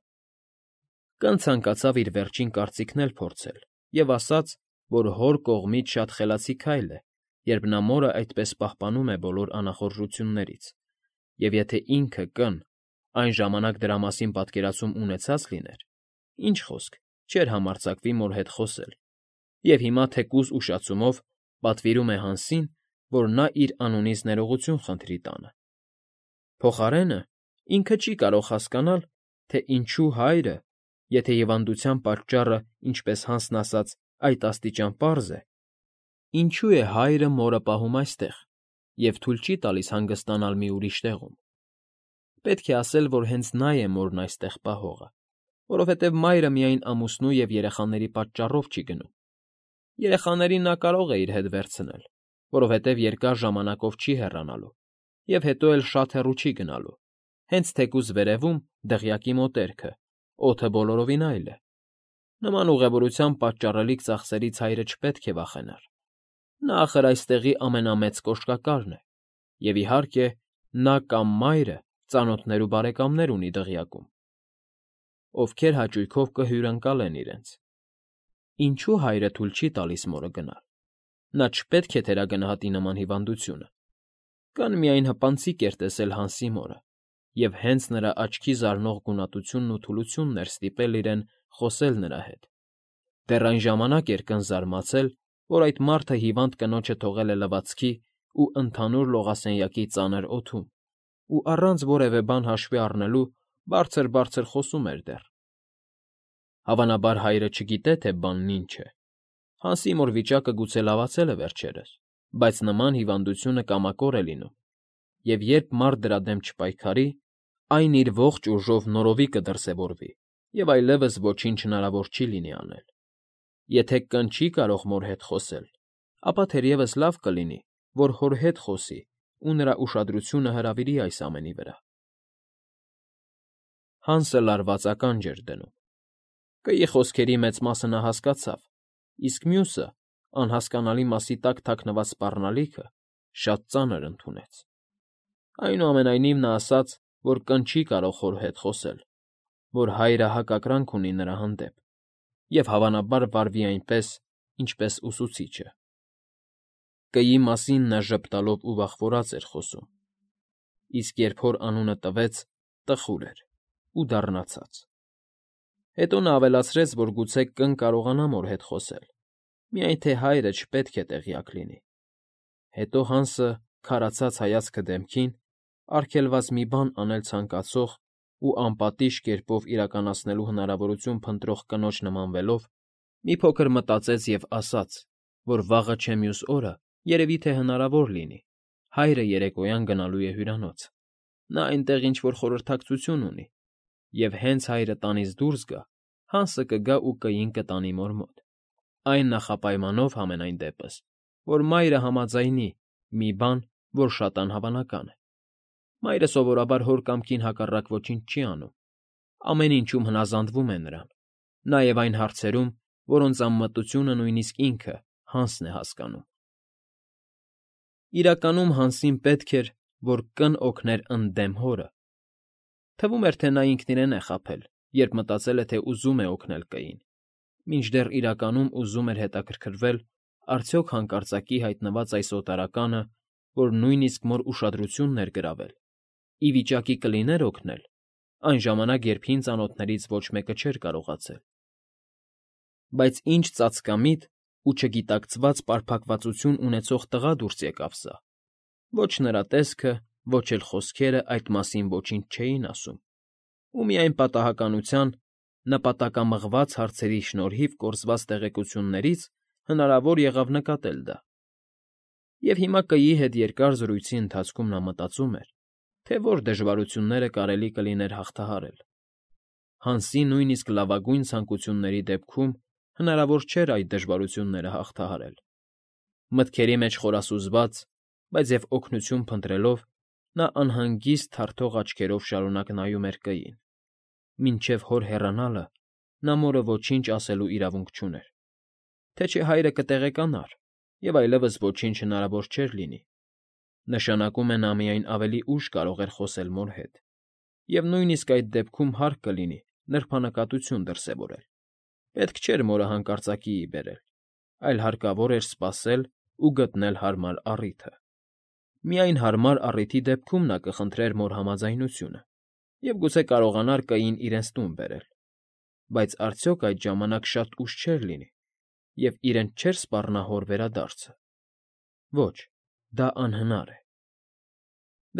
Կն ցանկացավ իր վերջին կարծիքն էլ փորձել և ասաց, որ հոր կողմից շատ խելացի քայլ է, երբ նա մորը այդպես պահպանում է բոլոր անախորժություններից, և եթե ինքը՝ Կն, այն ժամանակ դրա մասին պատկերացում ունեցած լիներ, ինչ խոսք, չէր համարձակվի մոր հետ խոսել, և հիմա թեկուզ ուշացումով պատվիրում է Հանսին, որ նա իր անունից ներողություն խնդրի տանը։ Փոխարենը ինքը չի կարող հասկանալ, թե ինչու հայրը, եթե հիվանդության պատճառը, ինչպես Հանսն ասաց, այդ աստիճան պարզ է, ինչու է հայրը մորը պահում այստեղ և թույլ չի տալիս հանգստանալ մի ուրիշ տեղում։ Պետք է ասել, որ հենց նա է մորն այստեղ պահողը, որովհետև մայրը միայն ամուսնու և երեխաների պատճառով չի գնում։ Երեխաներին նա կարող է իր հետ վերցնել, որովհետև երկար ժամանակով չի հեռանալու, և հետո էլ շատ հեռու չի գնալու, հենց թեկուզ վերևում, դղյակի մոտերքը, օդը բոլորովին այլ է։ Նման ուղևորությամբ պատճառելիք ծախսերից հայրը չպետք է վախենար։ Նա, ախր, այստեղի ամենամեծ կոշկակարն է, և, իհարկե, նա կամ մայրը ծանոթներ ու բարեկամներ ունի դղյակում, ովքեր հաճույքով կհյուրընկալեն իրենց։ Ինչու հայրը թույլ չի տալիս մորը գնալ։ Նա չպետք է թերագնահատի նման հիվանդությունը։ Կան միայն հպանցիկ էր տեսել Հանսի մորը, և հենց նրա աչքի զարնող գունատությունն ու թուլությունն էր ստիպել իրեն խոսել նրա հետ։ Դեռ այն ժամանակ էր կն զարմացել, որ այդ մարդը հիվանդ կնոջը թողել է լվացքի ու ընդհանուր լողասենյակի ծանր օդում ու առանց որևէ բան հաշվի առնելու բարձր֊բարձր խոսում էր դեռ։ Հավանաբար հայրը չգիտե, թե բանն ինչ է։ Հանսի մոր վիճակը գուցե լավացել է վերջերս, բայց նման հիվանդությունը կամակոր է լինում, և երբ մարդ դրա դեմ չպայքարի, այն իր ողջ ուժով նորովի կդրսևորվի, և այլևս ոչինչ հնարավոր չի լինի անել։ Եթե կն չի կարող մոր հետ խոսել, ապա թերևս լավ կլինի, որ հոր հետ խոսի ու նրա ուշադրությունը հրավիրի այս ամենի վրա։ Հանսը լարված ականջ էր դնում։ Կգի խոսքերի մեծ մասը նա հասկացավ, իսկ մյուսը, անհասկանալի մասի տակ թաքնված սպառնալիքը, շատ ծանր ընդունեց։ Այնուամենայնիվ նա ասաց, որ կն չի կարող հոր հետ խոսել, որ հայրը հակակրանք ունի նրա հանդեպ, և հավանաբար վարվի այնպես, ինչպես ուսուցիչը։ Կգի մասին նա ժպտալով ու վախվորած էր խոսում, իսկ երբ հոր անունը տվեց, տխուր էր ու դառնացած։ Հետո նա ավելացրեց, որ գուցե կն կարողանա մոր հետ խոսել, միայն թե հայրը չպետք է տեղյակ լինի։ Հետո Հանսը, քարացած հայացքը դեմքին, արգելված մի բան անել ցանկացող ու անպատիժ կերպով իրականացնելու հնարավորություն փնտրող կնոջ նմանվելով, մի փոքր մտածեց և ասաց, որ վաղը չէ մյուս օրը, երևի թե հնարավոր լինի, հայրը երեկոյան գնալու է հյուրանոց, նա այնտեղ ինչ֊որ խորհրդակցություն ունի, և հենց հայրը տանից դուրս գա, Հանսը կգա ու կին կտանի մոր մոտ, այն նախապայմանով համենայն դեպս, որ մայրը համաձայնի մի բան, որ շատ անհավանական է։ Մայրը սովորաբար հոր կամքին հակառակ ոչինչ չի անում, ամեն ինչում հնազանդվում է նրան, նաև այն հարցերում, որոնց անմտությունը նույնիսկ ինքը, Հանսն է հասկանում։ Իրականում Հանսին պետք էր, որ կն օգներ ընդդեմ հորը։ Թվում էր, թե նա ինքն իրեն է խաբել, երբ մտածել է, թե ուզում է օգնել կին, մինչդեռ իրականում ուզում էր հետաքրքրվել, արդյոք հանկարծակի հայտնված այս օտարականը, որ նույնիսկ մոր ուշադրությունն էր գրավել, ի վիճակի կլիներ օգնել, այն ժամանակ, երբ հին ծանոթներից ոչ մեկը չէր կարողացել։ Բայց ինչ ծածկամիտ ու չգիտակցված պարփակվածություն ունեցող տղա դուրս եկավ սա։ Ոչ նրա տեսքը, ոչ էլ խոսքերը այդ մասին ոչինչ չէին ասում, ու միայն պատահականության, նպատակամղված հարցերի շնորհիվ կորզված տեղեկություններից հնարավոր եղավ նկատել դա։ Եվ հիմա կիի հետ երկար զրույցի ընթացքում նա մտածում էր, թե որ դժվարությունները կարելի կլիներ հաղթահարել։ Հանսի նույնիսկ լավագույն ցանկությունների դեպքում հնարավոր չէր այդ դժվարությունները հաղթահարել։ Մտքերի մեջ խորասուզված, բայց և օգնություն փնտրելով, նա անհանգիստ թարթող աչքերով շարունակ նայում էր կային։ Մինչև հոր հեռանալը նա մորը ոչինչ ասելու իրավունք չուներ, թե չէ հայրը կտեղեկանար, և այլևս ոչինչ հնարավոր չէր լինի։ Նշանակում է նա միայն ավելի ուշ կարող էր խոսել մոր հետ, և նույնիսկ այդ դեպքում հարկ կլինի նրբանկատություն դրսևորել։ Պետք չէր մորը հանկարծակիի բերել, այլ հարկավոր էր սպասել ու գտնել հարմար առիթը։ Միայն հարմար առիթի դեպքում նա կխնդրեր մոր համաձայնությունը և գուցե կարողանար կային իրենց տուն բերել, բայց արդյոք այդ ժամանակ շատ ուշ չէր լինի, և իրեն չէր սպառնա հոր վերադարձը։ Ոչ, դա անհնար է։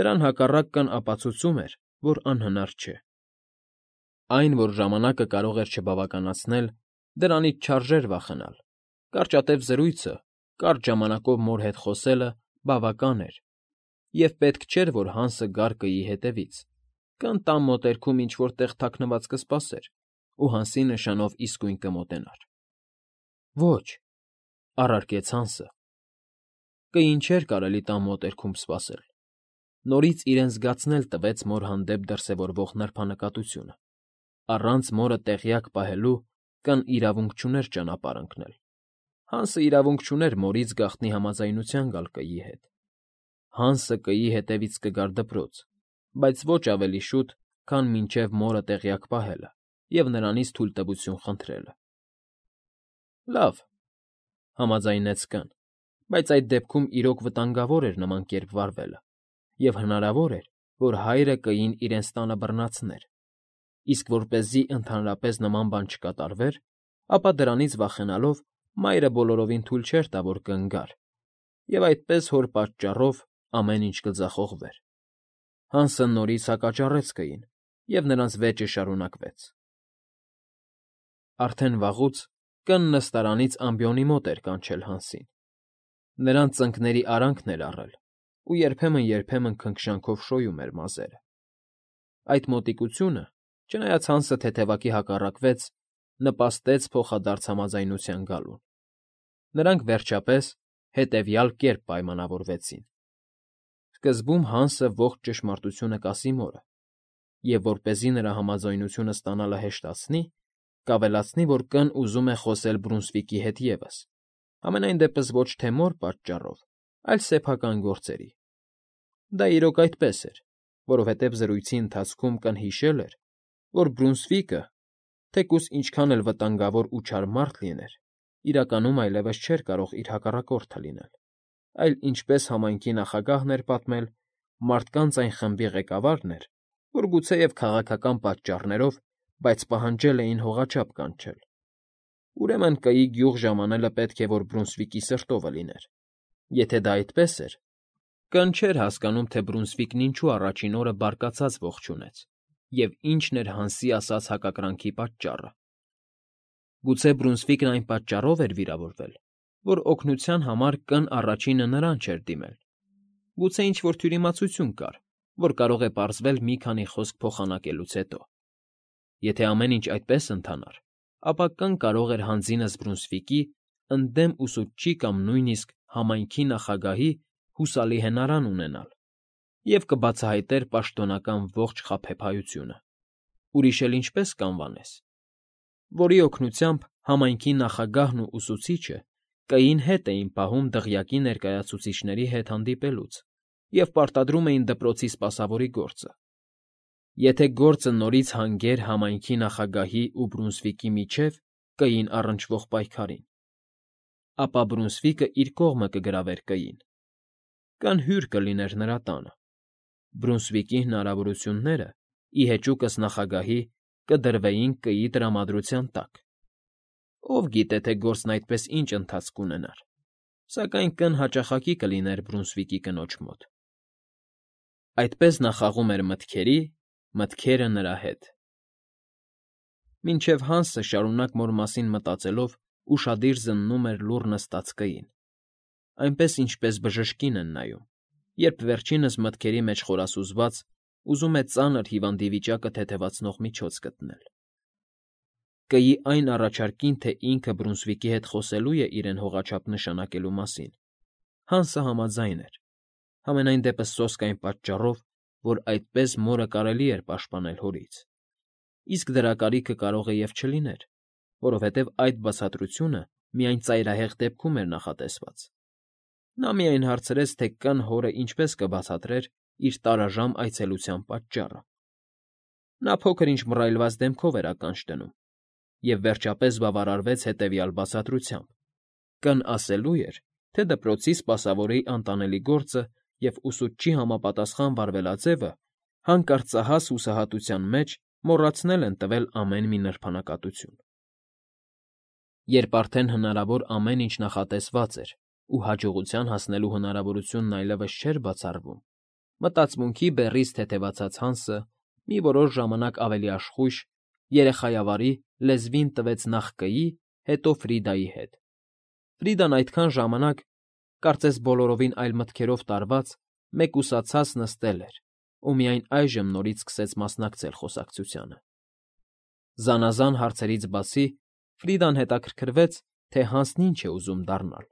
Դրան հակառակ կն ապացուցում էր, որ անհնար չէ։ Այն, որ ժամանակը կարող էր չբավականացնել, դրանից չարժեր վախենալ։ Կարճատև զրույցը, կարճ ժամանակով մոր հետ խոսելը բավական էր, և պետք չէր, որ Հանսը գար կիի հետևից, կն տան մոտերքում ինչ֊որ տեղ թաքնված կսպասեր ու Հանսի նշանով իսկույն կմոտենար։ Ոչ, առարկեց Հանսը։ Կին չէր կարելի տան մոտերքում սպասել։ Նորից իրեն զգացնել տվեց մոր հանդեպ դրսևորվող նրբանկատությունը։ Առանց մորը տեղյակ պահելու կն իրավունք չուներ ճանապարհ ընկնել։ Հանսը իրավունք չուներ մորից գաղտնի համաձայնության գալ կիի հետ։ Հանսը կիի հետևից կգար դպրոց, բայց ոչ ավելի շուտ, քան մինչև մորը տեղյակ պահելը և նրանից թույլտվություն խնդրելը։ Լավ, համաձայնեց կն, բայց այդ դեպքում իրոք վտանգավոր էր նման կերպ վարվելը, և հնարավոր էր, որ հայրը կին իրենց տանը բռնացներ։ իսկ որպեսզի ընդհանրապես նման բան չկատարվեր, ապա դրանից վախենալով մայրը բոլորովին թույլ չէր տա, որ կնգար, և այդպես հոր պատճառով ամեն ինչ կձախողվեր։ Հանսը նորից հակաճառեց կգին, և նրանց վեճը շարունակվեց։ Արդեն վաղուց կն նստարանից ամբիոնի մոտ էր կանչել Հանսին. նրանց ծնկների արանքն էր առել ու երբեմն֊երբեմն քնքշանքով շոյում էր մազերը։ Այդ մոտիկությունը, չնայած Հանսը թեթևակի հակառակվեց, նպաստեց փոխադարձ համաձայնության գալուն։ Նրանք, վերջապես, հետևյալ կերպ պայմանավորվեցին. սկզբում Հանսը ողջ ճշմարտությունը կասի մորը, և որպեսզի նրա համաձայնությունը ստանալը հեշտացնի, կավելացնի, որ կն ուզում է խոսել Բրունսվիկի հետ ևս, համենայն դեպս ոչ թե մոր պատճառով, այլ սեփական գործերի։ Դա իրոք այդպես էր, որովհետև զրույցի ընթացքում կն հիշել էր, որ Բրունսվիկը, թեկուզ ինչքան էլ վտանգավոր ու չար մարդ լիներ, իրականում այլևս չէր կարող իր հակառակորդը լինել, այլ, ինչպես համայնքի նախագահն էր պատմել, մարդկանց այն խմբի ղեկավարն էր, որ գուցեև քաղաքական պատճառներով, բայց պահանջել էին հողաչափ կանչել։ Ուրեմն կգի գյուղ ժամանելը պետք է որ Բրունսվիկի սրտովը լիներ։ Եթե դա այդպես էր, կն չէր հասկանում, թե Բրունսվիկն ինչու առաջին օրը բարկացած ողջունեց, և ինչն էր Հանսի ասած հակակրանքի պատճառը։ Գուցե Բրունսվիկն այն պատճառով էր վիրավորվել, որ օգնության համար կն առաջինը նրան չէր դիմել։ Գուցե ինչ-որ թյուրիմացություն կար, որ կարող է պարզվել մի քանի խոսք փոխանակելուց հետո։ Եթե ամեն ինչ այդպես ընթանար, ապա կն կարող էր հանձինս Բրունսվիկի ընդդեմ ուսուցչի կամ նույնիսկ համայնքի նախագահի հուսալի հենարան ունենալ և կբացահայտեր պաշտոնական ողջ խաբեբայությունը։ Ուրիշ էլ ինչպես կանվանես, որի օգնությամբ համայնքի նախագահն ու ուսուցիչը կային հետ էին պահում դղյակի ներկայացուցիչների հետ հանդիպելուց և պարտադրում էին դպրոցի սպասավորի գործը։ Եթե գործը նորից հանգեր համայնքի նախագահի ու Բրունսվիկի միջև կային առնչվող պայքարին, ապա Բրունսվիկը իր կողմը կգրավեր կային, կն հյուր կլիներ նրա տանը։ Բրունսվիկի հնարավորությունները, ի հեճուկս նախագահի, կդրվեին կգի տրամադրության տակ։ Ով գիտե, թե գործն այդպես ինչ ընթացք կունենար, սակայն կն հաճախակի կլիներ Բրունսվիկի կնոջ մոտ։ Այդպես նա խաղում էր մտքերի, մտքերը նրա հետ։ Մինչև Հանսը շարունակ մոր մասին մտածելով ուշադիր զննում էր լուռ նստած կգին, այնպես ինչպես բժշկին են նայում, երբ վերջինս մտքերի մեջ խորասուզված ուզում է ծանր հիվանդի վիճակը թեթևացնող միջոց գտնել։ Կգի այն առաջարկին, թե ինքը Բրունսվիկի հետ խոսելու է իրեն հողաչափ նշանակելու մասին, Հանսը համաձայն էր, համենայն դեպս սոսկ այն պատճառով, որ այդպես մորը կարելի էր պաշտպանել հորից, իսկ դրա կարիքը կարող է և չլիներ, որովհետև այդ բացատրությունը միայն ծայրահեղ դեպքում էր նախատեսված։ Նա միայն հարցրեց, թե կն հորը ինչպես կբացատրեր իր տարաժամ այցելության պատճառը։ Նա փոքր-ինչ մռայլված դեմքով էր ականջ դնում և վերջապես բավարարվեց հետևյալ բացատրությամբ. կն ասելու էր, թե դպրոցի սպասավորի անտանելի գործը և ուսուցչի համապատասխան վարվելաձևը հանկարծահաս հուսահատության մեջ մոռացնել են տվել ամեն մի նրբանակատություն։ Երբ արդեն հնարավոր ամեն ինչ նախատեսված էր ու հաջողության հասնելու հնարավորությունն այլևս չէր բացառվում, մտածմունքի բեռից թեթևացած Հանսը մի որոշ ժամանակ ավելի աշխույժ, երեխայավարի լեզվին տվեց նախ կգի, հետո Ֆրիդայի հետ։ Ֆրիդան այդքան ժամանակ, կարծես բոլորովին այլ մտքերով տարված, մեկուսացած նստել էր ու միայն այժմ նորից սկսեց մասնակցել խոսակցությանը։ Զանազան հարցերից բացի Ֆրիդան հետաքրքրվեց, թե Հանսն ինչ է ուզում դառնալ։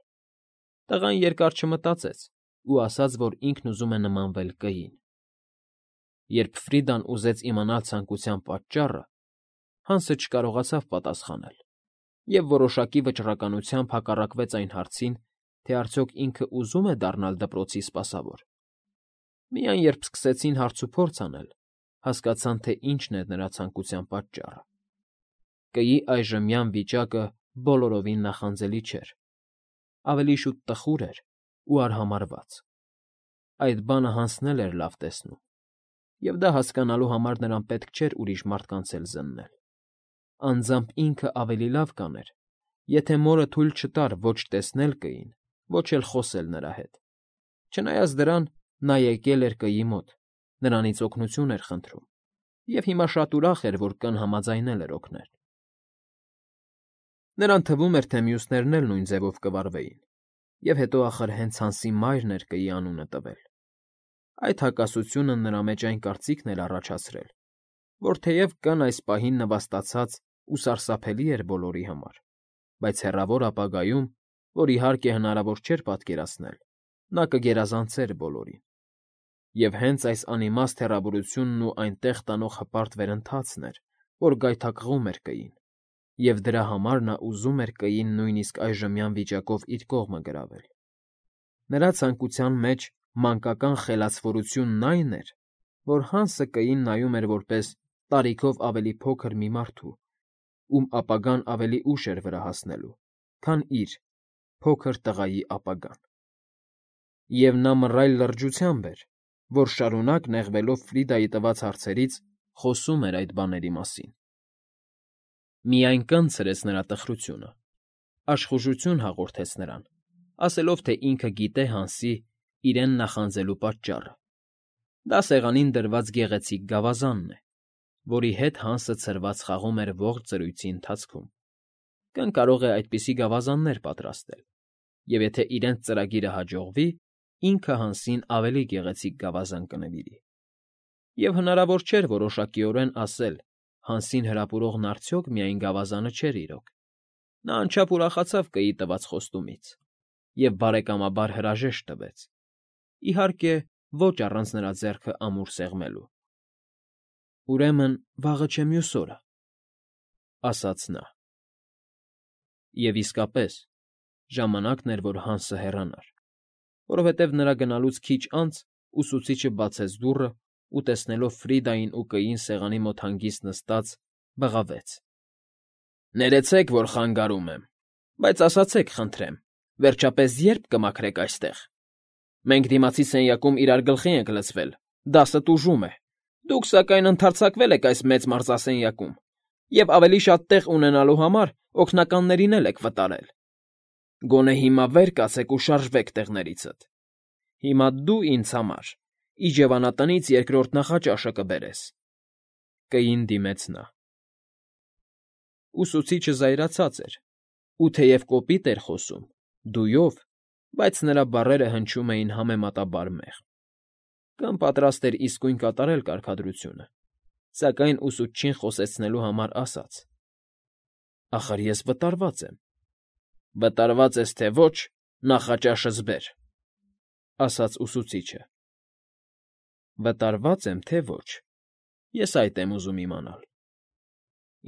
Տղան երկար չմտածեց ու ասաց, որ ինքն ուզում է նմանվել կգին։ Երբ Ֆրիդան ուզեց իմանալ ցանկության պատճառը, Հանսը չկարողացավ պատասխանել և որոշակի վճռականությամբ հակառակվեց այն հարցին, թե արդյոք ինքը ուզում է դառնալ դպրոցի սպասավոր։ Միայն երբ սկսեցին հարցուփորձ անել, հասկացան, թե ինչն է նրա ցանկության պատճառը։ Կգի այժմյան վիճակը բոլորովին նախանձելի չէր, ավելի շուտ տխուր էր ու արհամարհված։ Այդ բանը Հանսն էլ էր լավ տեսնում։ և դա հասկանալու համար նրան պետք չէր ուրիշ մարդկանց էլ զննել. անձամբ ինքը ավելի լավ կաներ, եթե մորը թույլ չտար ոչ տեսնել կգին, ոչ էլ խոսել նրա հետ. չնայած դրան, նա եկել էր կգի մոտ, նրանից օգնություն էր խնդրում և հիմա շատ ուրախ էր, որ կին համաձայնել էր օգնել։ Նրան թվում էր, թե մյուսներն էլ նույն ձևով կվարվեին, և հետո ախր հենց Հանսի մայրն էր կգի անունը տվել։ Այդ հակասությունը նրա մեջ այն կարծիքն էր առաջացրել, որ թեև կին այս պահին նվաստացած ու սարսափելի էր բոլորի համար, բայց հեռավոր ապագայում, որ իհարկե հնարավոր չէր պատկերացնել, նա կգերազանցեր բոլորին։ Եվ հենց այս անիմաստ հեռավորությունն ու այնտեղ տանող հպարտ վերընթացն էր, որ գայթակղում էր կգին, և դրա համար նա ուզում էր կգին նույնիսկ այժմյան վիճակով իր կողմը գրավել։ Նրա ցանկության մեջ մանկական խելացվորությունն այն էր, որ Հանսը կգին նայում էր որպես տարիքով ավելի փոքր մի մարդու, ում ապագան ավելի ուշ էր վրա հասնելու, քան իր՝ փոքր տղայի ապագան։ Եվ նա մռայլ լրջությամբ էր, որ շարունակ նեղվելով Ֆրիդայի տված հարցերից, խոսում էր այդ բաների մասին։ Միայն կնցրեց նրա տխրությունը, աշխուժություն հաղորդեց նրան, ասելով, թե ինքը գիտե Հանսի իրեն նախանձելու պատճառը. դա սեղանին դրված գեղեցիկ գավազանն է, որի հետ Հանսը ցրված խաղում էր ողջ զրույցի ընթացքում։ Կին կարող է այդպիսի գավազաններ պատրաստել, և եթե իրենց ծրագիրը հաջողվի, ինքը Հանսին ավելի գեղեցիկ գավազան կնվիրի։ Եվ հնարավոր չէր որոշակիորեն ասել. Հանսին հրապուրողն արդյոք միայն գավազանը չէր իրոք։ Նա անչափ ուրախացավ կգի տված խոստումից և բարեկամաբար հրաժեշտ տվեց, իհարկե, ոչ առանց նրա ձեռքը ամուր սեղմելու։ «Ուրեմն վաղը չէ մյուս օրը,֊ ասաց նա։ Եվ իսկապես, ժամանակն էր, որ Հանսը հեռանար, որովհետև նրա գնալուց քիչ անց ուսուցիչը բացեց դուռը ու, տեսնելով Ֆրիդային ու կգին սեղանի մոտ հանգիստ նստած, բղավեց. «Ներեցեք, որ խանգարում եմ, բայց ասացեք, խնդրեմ, վերջապես ե՞րբ կմաքրեք այստեղ։ Մենք դիմացի սենյակում իրար գլխի ենք լցվել, դասը տուժում է, դուք, սակայն, ընդարձակվել եք այս մեծ մարզասենյակում և ավելի շատ տեղ ունենալու համար օգնականներին էլ եք վտարել։ Գոնե հիմա վեր կացեք ու շարժվեք տեղներիցդ։ Հիմա դու ինձ համար իջևանատնից երկրորդ նախաճաշը կբերես»։ Կգին դիմեց նա։ Ուսուցիչը զայրացած էր, ու թեև կոպիտ էր խոսում, դույով, բայց նրա բառերը հնչում էին համեմատաբար մեղմ։ Կին պատրաստ էր իսկույն կատարել կարգադրությունը, սակայն ուսուցչին խոսեցնելու համար ասաց. «Ախր ես վտարված եմ»։ «Վտարված ես, թե ոչ, նախաճաշս բեր», ասաց ուսուցիչը։ «Վտարված եմ, թե ոչ, ես այդ եմ ուզում իմանալ»։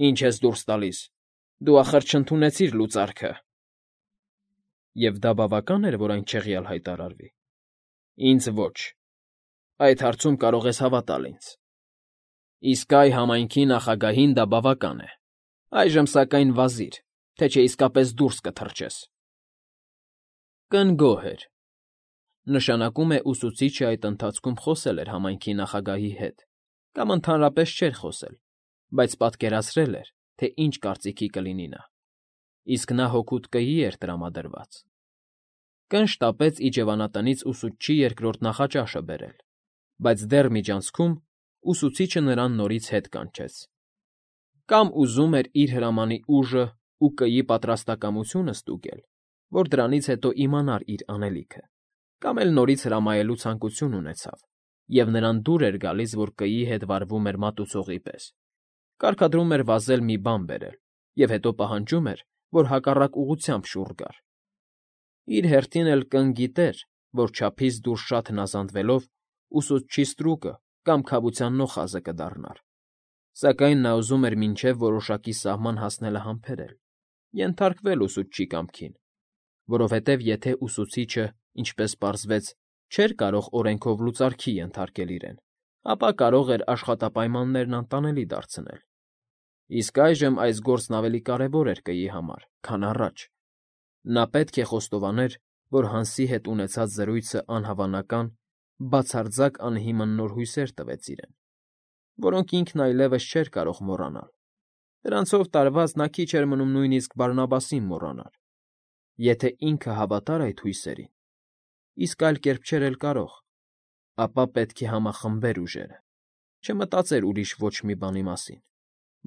«Ինչ ես դուրս տալիս, դու ախր չընդունեցիր լուծարքը»։ «Եվ դա բավական էր, որ այն չեղյալ հայտարարվի»։ «Ինձ ոչ։ Այդ հարցում կարող ես հավատալ ինձ։ Իսկ այ համայնքի նախագահին դա բավական է։ Այժմ, սակայն, վազիր, թե չէ իսկապես դուրս կթռչես»։ Կին գոհ էր։ Նշանակում է ուսուցիչը այդ ընթացքում խոսել էր համայնքի նախագահի հետ կամ ընդհանրապես չէր խոսել, բայց պատկերացրել էր, թե ինչ կարծիքի կլինի նա, իսկ նա հօգուտ կգի էր տրամադրված։ Կին շտապեց իջևանատնից ուսուցչի երկրորդ նախաճաշը բերել, բայց դեռ միջանցքում ուսուցիչը նրան նորից հետ կանչեց։ Կամ ուզում էր իր հրամանի ուժն ու կգի պատրաստակամությունը ստուգել, որ դրանից հետո իմանար իր անելիքը, կամ էլ նորից հրամայելու ցանկություն ունեցավ, և նրան դուր էր գալիս, որ կգի հետ վարվում էր մատուցողի պես, կարգադրում էր վազել մի բան բերել և հետո պահանջում էր, որ հակառակ ուղղությամբ շուռ գար։ Իր հերթին էլ կին գիտեր, որ չափից դուրս շատ հնազանդվելով ուսուցչի ստրուկը կամ քավության նոխազը կդառնար, սակայն նա ուզում էր մինչև որոշակի սահման հասնելը համբերել, ենթարկվել ուսուցչի կամքին, որովհետև եթե ուսուցիչը, ինչպես պարզվեց, չէր կարող օրենքով լուծարքի ենթարկել իրեն, ապա կարող էր աշխատապայմաններն անտանելի դարձնել։ Իսկ այժմ այս գործն ավելի կարևոր էր կգի համար, քան առաջ։ Նա պետք է խոստովաներ, որ Հանսի հետ ունեցած զրույցը անհավանական, բացարձակ անհիմն նոր հույսեր տվեց իրեն։ որոնք ինքն այլևս չէր կարող մոռանալ. դրանցով տարված նա քիչ էր մնում նույնիսկ Բարնաբասին մոռանար, եթե ինքը հավատար այդ հույսերին, իսկ այլ կերպ չէր էլ կարող, ապա պետք է համախմբեր ուժերը, չմտածեր ուրիշ ոչ մի բանի մասին,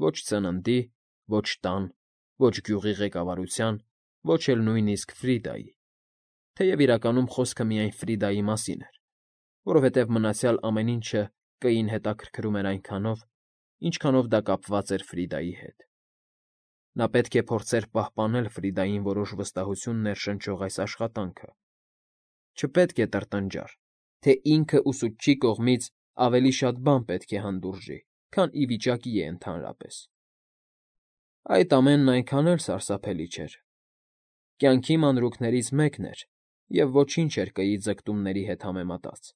ոչ ծննդի, ոչ տան, ոչ գյուղի ղեկավարության, ոչ էլ նույնիսկ Ֆրիդայի, թեև իրականում խոսքը միայն Ֆրիդայի մասին էր, որովհետև մնացյալ ամեն ինչը Կային հետաքրքրում էր այնքանով, ինչքանով դա կապված էր Ֆրիդայի հետ։ Նա պետք է փորձեր պահպանել Ֆրիդային որոշ վստահություն ներշնչող այս աշխատանքը։ Չպետք է տրտնջար, թե ինքը ուսուցչի կողմից ավելի շատ բան պետք է հանդուրժի, քան ի վիճակի է ընդհանրապես։ Այդ ամենն այնքան էլ սարսափելի չէր։ Կյանքի մանրուքներից մեկն էր, և ոչինչ էր Կիի ձգտումների հետ համեմատած։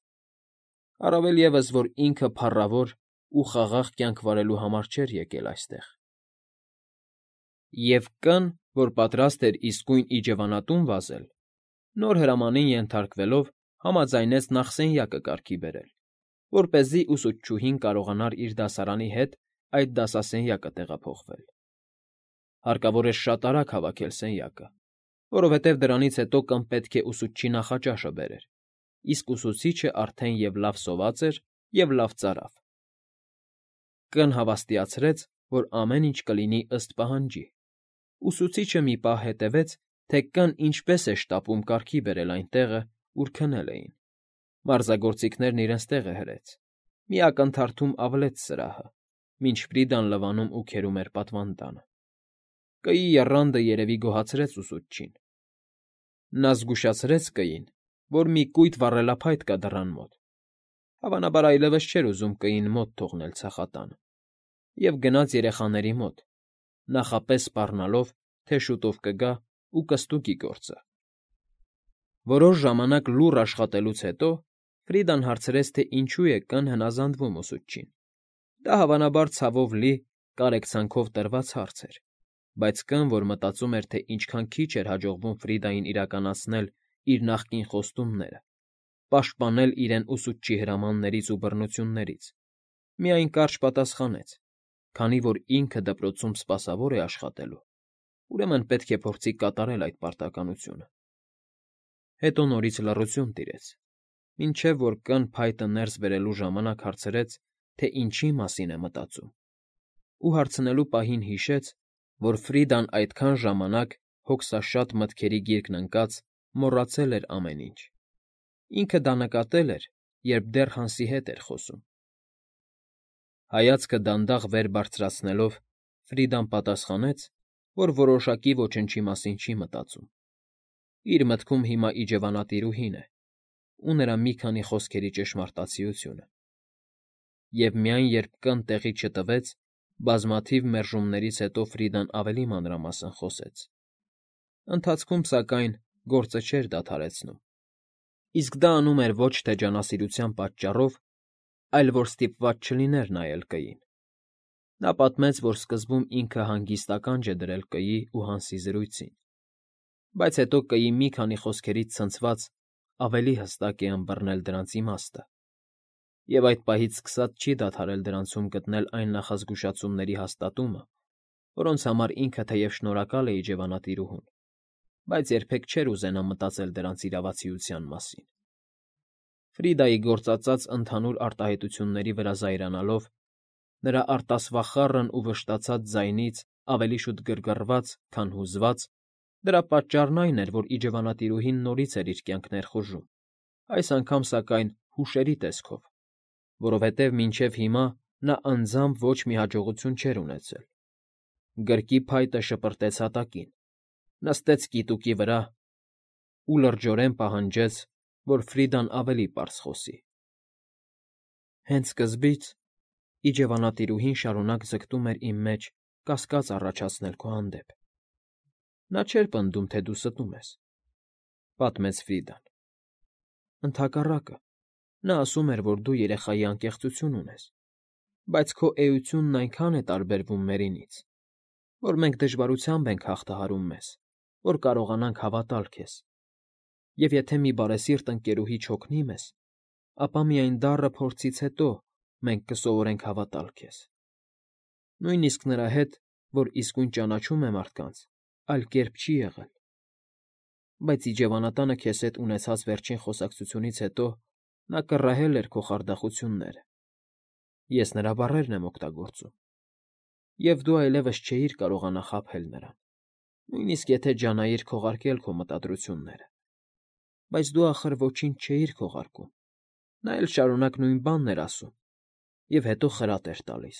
Առավել ևս, որ ինքը փառավոր ու խաղաղ կյանք վարելու համար չէր եկել այստեղ։ Եվ Կ֊ն, որ պատրաստ էր իսկույն իջևանատուն վազել, նոր հրամանին ենթարկվելով, համաձայնեց նախսենյակը կարգի բերել, որպեսզի ուսուցչուհին կարողանար իր դասարանի հետ այդ դասասենյակը տեղափոխվել։ Հարկավոր էր շատ արագ հավաքել սենյակը, որովհետև դրանից հետո Կ֊ն պետք է ուսուցչի նախաճաշը բերեր, իսկ ուսուցիչը արդեն և լավ սոված էր, և լավ ծարավ։ Կ֊ն հավաստիացրեց, որ ամեն ինչ կլինի ըստ պահանջի։ Ուսուցիչը մի պահ հետևեց, թե Կ֊ն ինչպես է շտապում կարգի բերել այն տեղը, ուր քնել էին։ Մարզագործիքներն իրենց տեղը հրեց։ Մի ակնթարթում ավլեց սրահը, մինչ Ֆրիդան լվանում ու քերում էր պատվանդանը։ Կիի եռանդը երևի գոհացրեց ուսուցչին։ Նա զգուշացրեց Կիին, որ մի կույտ վառելափայտ կա դռան մոտ։ Հավանաբար այլևս չէր ուզում Կիին մոտ թողնել ցախատանը, և գնաց երեխաների մոտ, նախապես սպառնալով, թե շուտով կգա ու կստուգի գործը։ Որոշ ժամանակ լուռ աշխատելուց հետո Ֆրիդան հարցրեց, թե ինչու է Կ֊ն հնազանդվում ուսուցչին։ Դա հավանաբար ցավով լի, կարեկցանքով տրված հարց էր, բայց Կ֊ն, որ մտածում էր, թե ինչքան քիչ էր հաջողվում Ֆրիդային իրականացնել իր նախկին խոստումները, պաշտպանել իրեն ուսուցչի հրամաններից ու բռնություններից, միայն կարճ պատասխանեց. քանի որ ինքը դպրոցում սպասավոր է աշխատելու, ուրեմն պետք է փորձի կատարել այդ պարտականությունը։ Հետո նորից լռություն տիրեց, մինչև որ Կ֊ն փայտը ներս բերելու ժամանակ հարցրեց, թե ինչի մասին է մտածում, ու հարցնելու պահին հիշեց, որ Ֆրիդան այդքան ժամանակ հոգսաշատ մտքերի գիրկն ընկած մոռացել էր ամեն ինչ։ Ինքը դա նկատել էր, երբ դեռ Հանսի հետ էր խոսում։ Հայացքը դանդաղ վեր բարձրացնելով՝ Ֆրիդան պատասխանեց, որ որոշակի ոչնչի մասին չի մտածում։ Իր մտքում հիմա իջևանատիրուհին է ու նրա մի քանի խոսքերի ճշմարտացիությունը։ Եվ միայն երբ Կ֊ն տեղի չտվեց, բազմաթիվ մերժումներից հետո Ֆրիդան ավելի մանրամասն խոսեց։ Ընթացքում, սակայն, գործը չէր դադարեցնում։ Իսկ դա անում էր ոչ թե ջանասիրության պատճառով, այլ որ ստիպված չլիներ նայել Կիին։ Նա պատմեց, որ սկզբում ինքը հանգիստ ականջ է դրել Կիի ու Հանսի զրույցին, բայց հետո Կիի մի քանի խոսքերից ցնցված ավելի հստակ է ըմբռնել դրանց իմաստը, և այդ պահից սկսած չի դադարել դրանցում գտնել այն նախազգուշացումների հաստատումը, որոնց համար ինքը թեև շնորհակալ է իջևանատիրուհուն, բայց երբեք չէր ուզենա մտածել դրանց իրավացիության մասին։ Ֆրիդայի գործածած ընդհանուր արտահայտությունների վրա զայրանալով, նրա արտասվախառն ու վշտացած ձայնից ավելի շուտ գրգռված, քան հուզված, դրա պատճառն այն էր, որ իջևանատիրուհին նորից էր իր կյանք ներխուժում, այս անգամ, սակայն, հուշերի տեսքով, որովհետև մինչև հիմա նա անձամբ ոչ մի հաջողություն չէր ունեցել։ Գրկի փայտը շպրտեց հատակին, նստեց կիտուկի վրա ու լրջորեն պահանջեց, որ Ֆրիդան ավելի պարզ խոսի։ Հենց սկզբից իջևանատիրուհին շարունակ ձգտում էր իմ մեջ կասկած առաջացնել քո հանդեպ։ Նա չէր պնդում, թե դու ստում ես, պատմեց Ֆրիդան։ Ընդհակառակը, նա ասում էր, որ դու երեխայի անկեղծություն ունես, բայց քո էությունն այնքան է տարբերվում մերինից, որ մենք դժվարությամբ ենք հաղթահարում մեզ, որ կարողանանք հավատալ քեզ, և եթե մի բարեսիրտ ընկերուհի չօգնի մեզ, ապա միայն դառը փորձից հետո մենք կսովորենք հավատալ քեզ։ Նույնիսկ նրա հետ, որ իսկույն ճանաչում է մարդկանց, այլ կերպ չի եղել։ Բայց իջևանատանը քեզ հետ ունեցած վերջին խոսակցությունից հետո նա կռահել էր քո խարդախությունները։ Ես նրա բառերն եմ օգտագործում։ Եվ դու այլևս չէիր կարողանա խաբել նրան, նույնիսկ եթե ջանայիր քողարկել քո մտադրությունները։ Բայց դու ախր ոչինչ չէիր քողարկում։ Նա էլ շարունակ նույն բանն էր ասում, և հետո խրատ էր տալիս։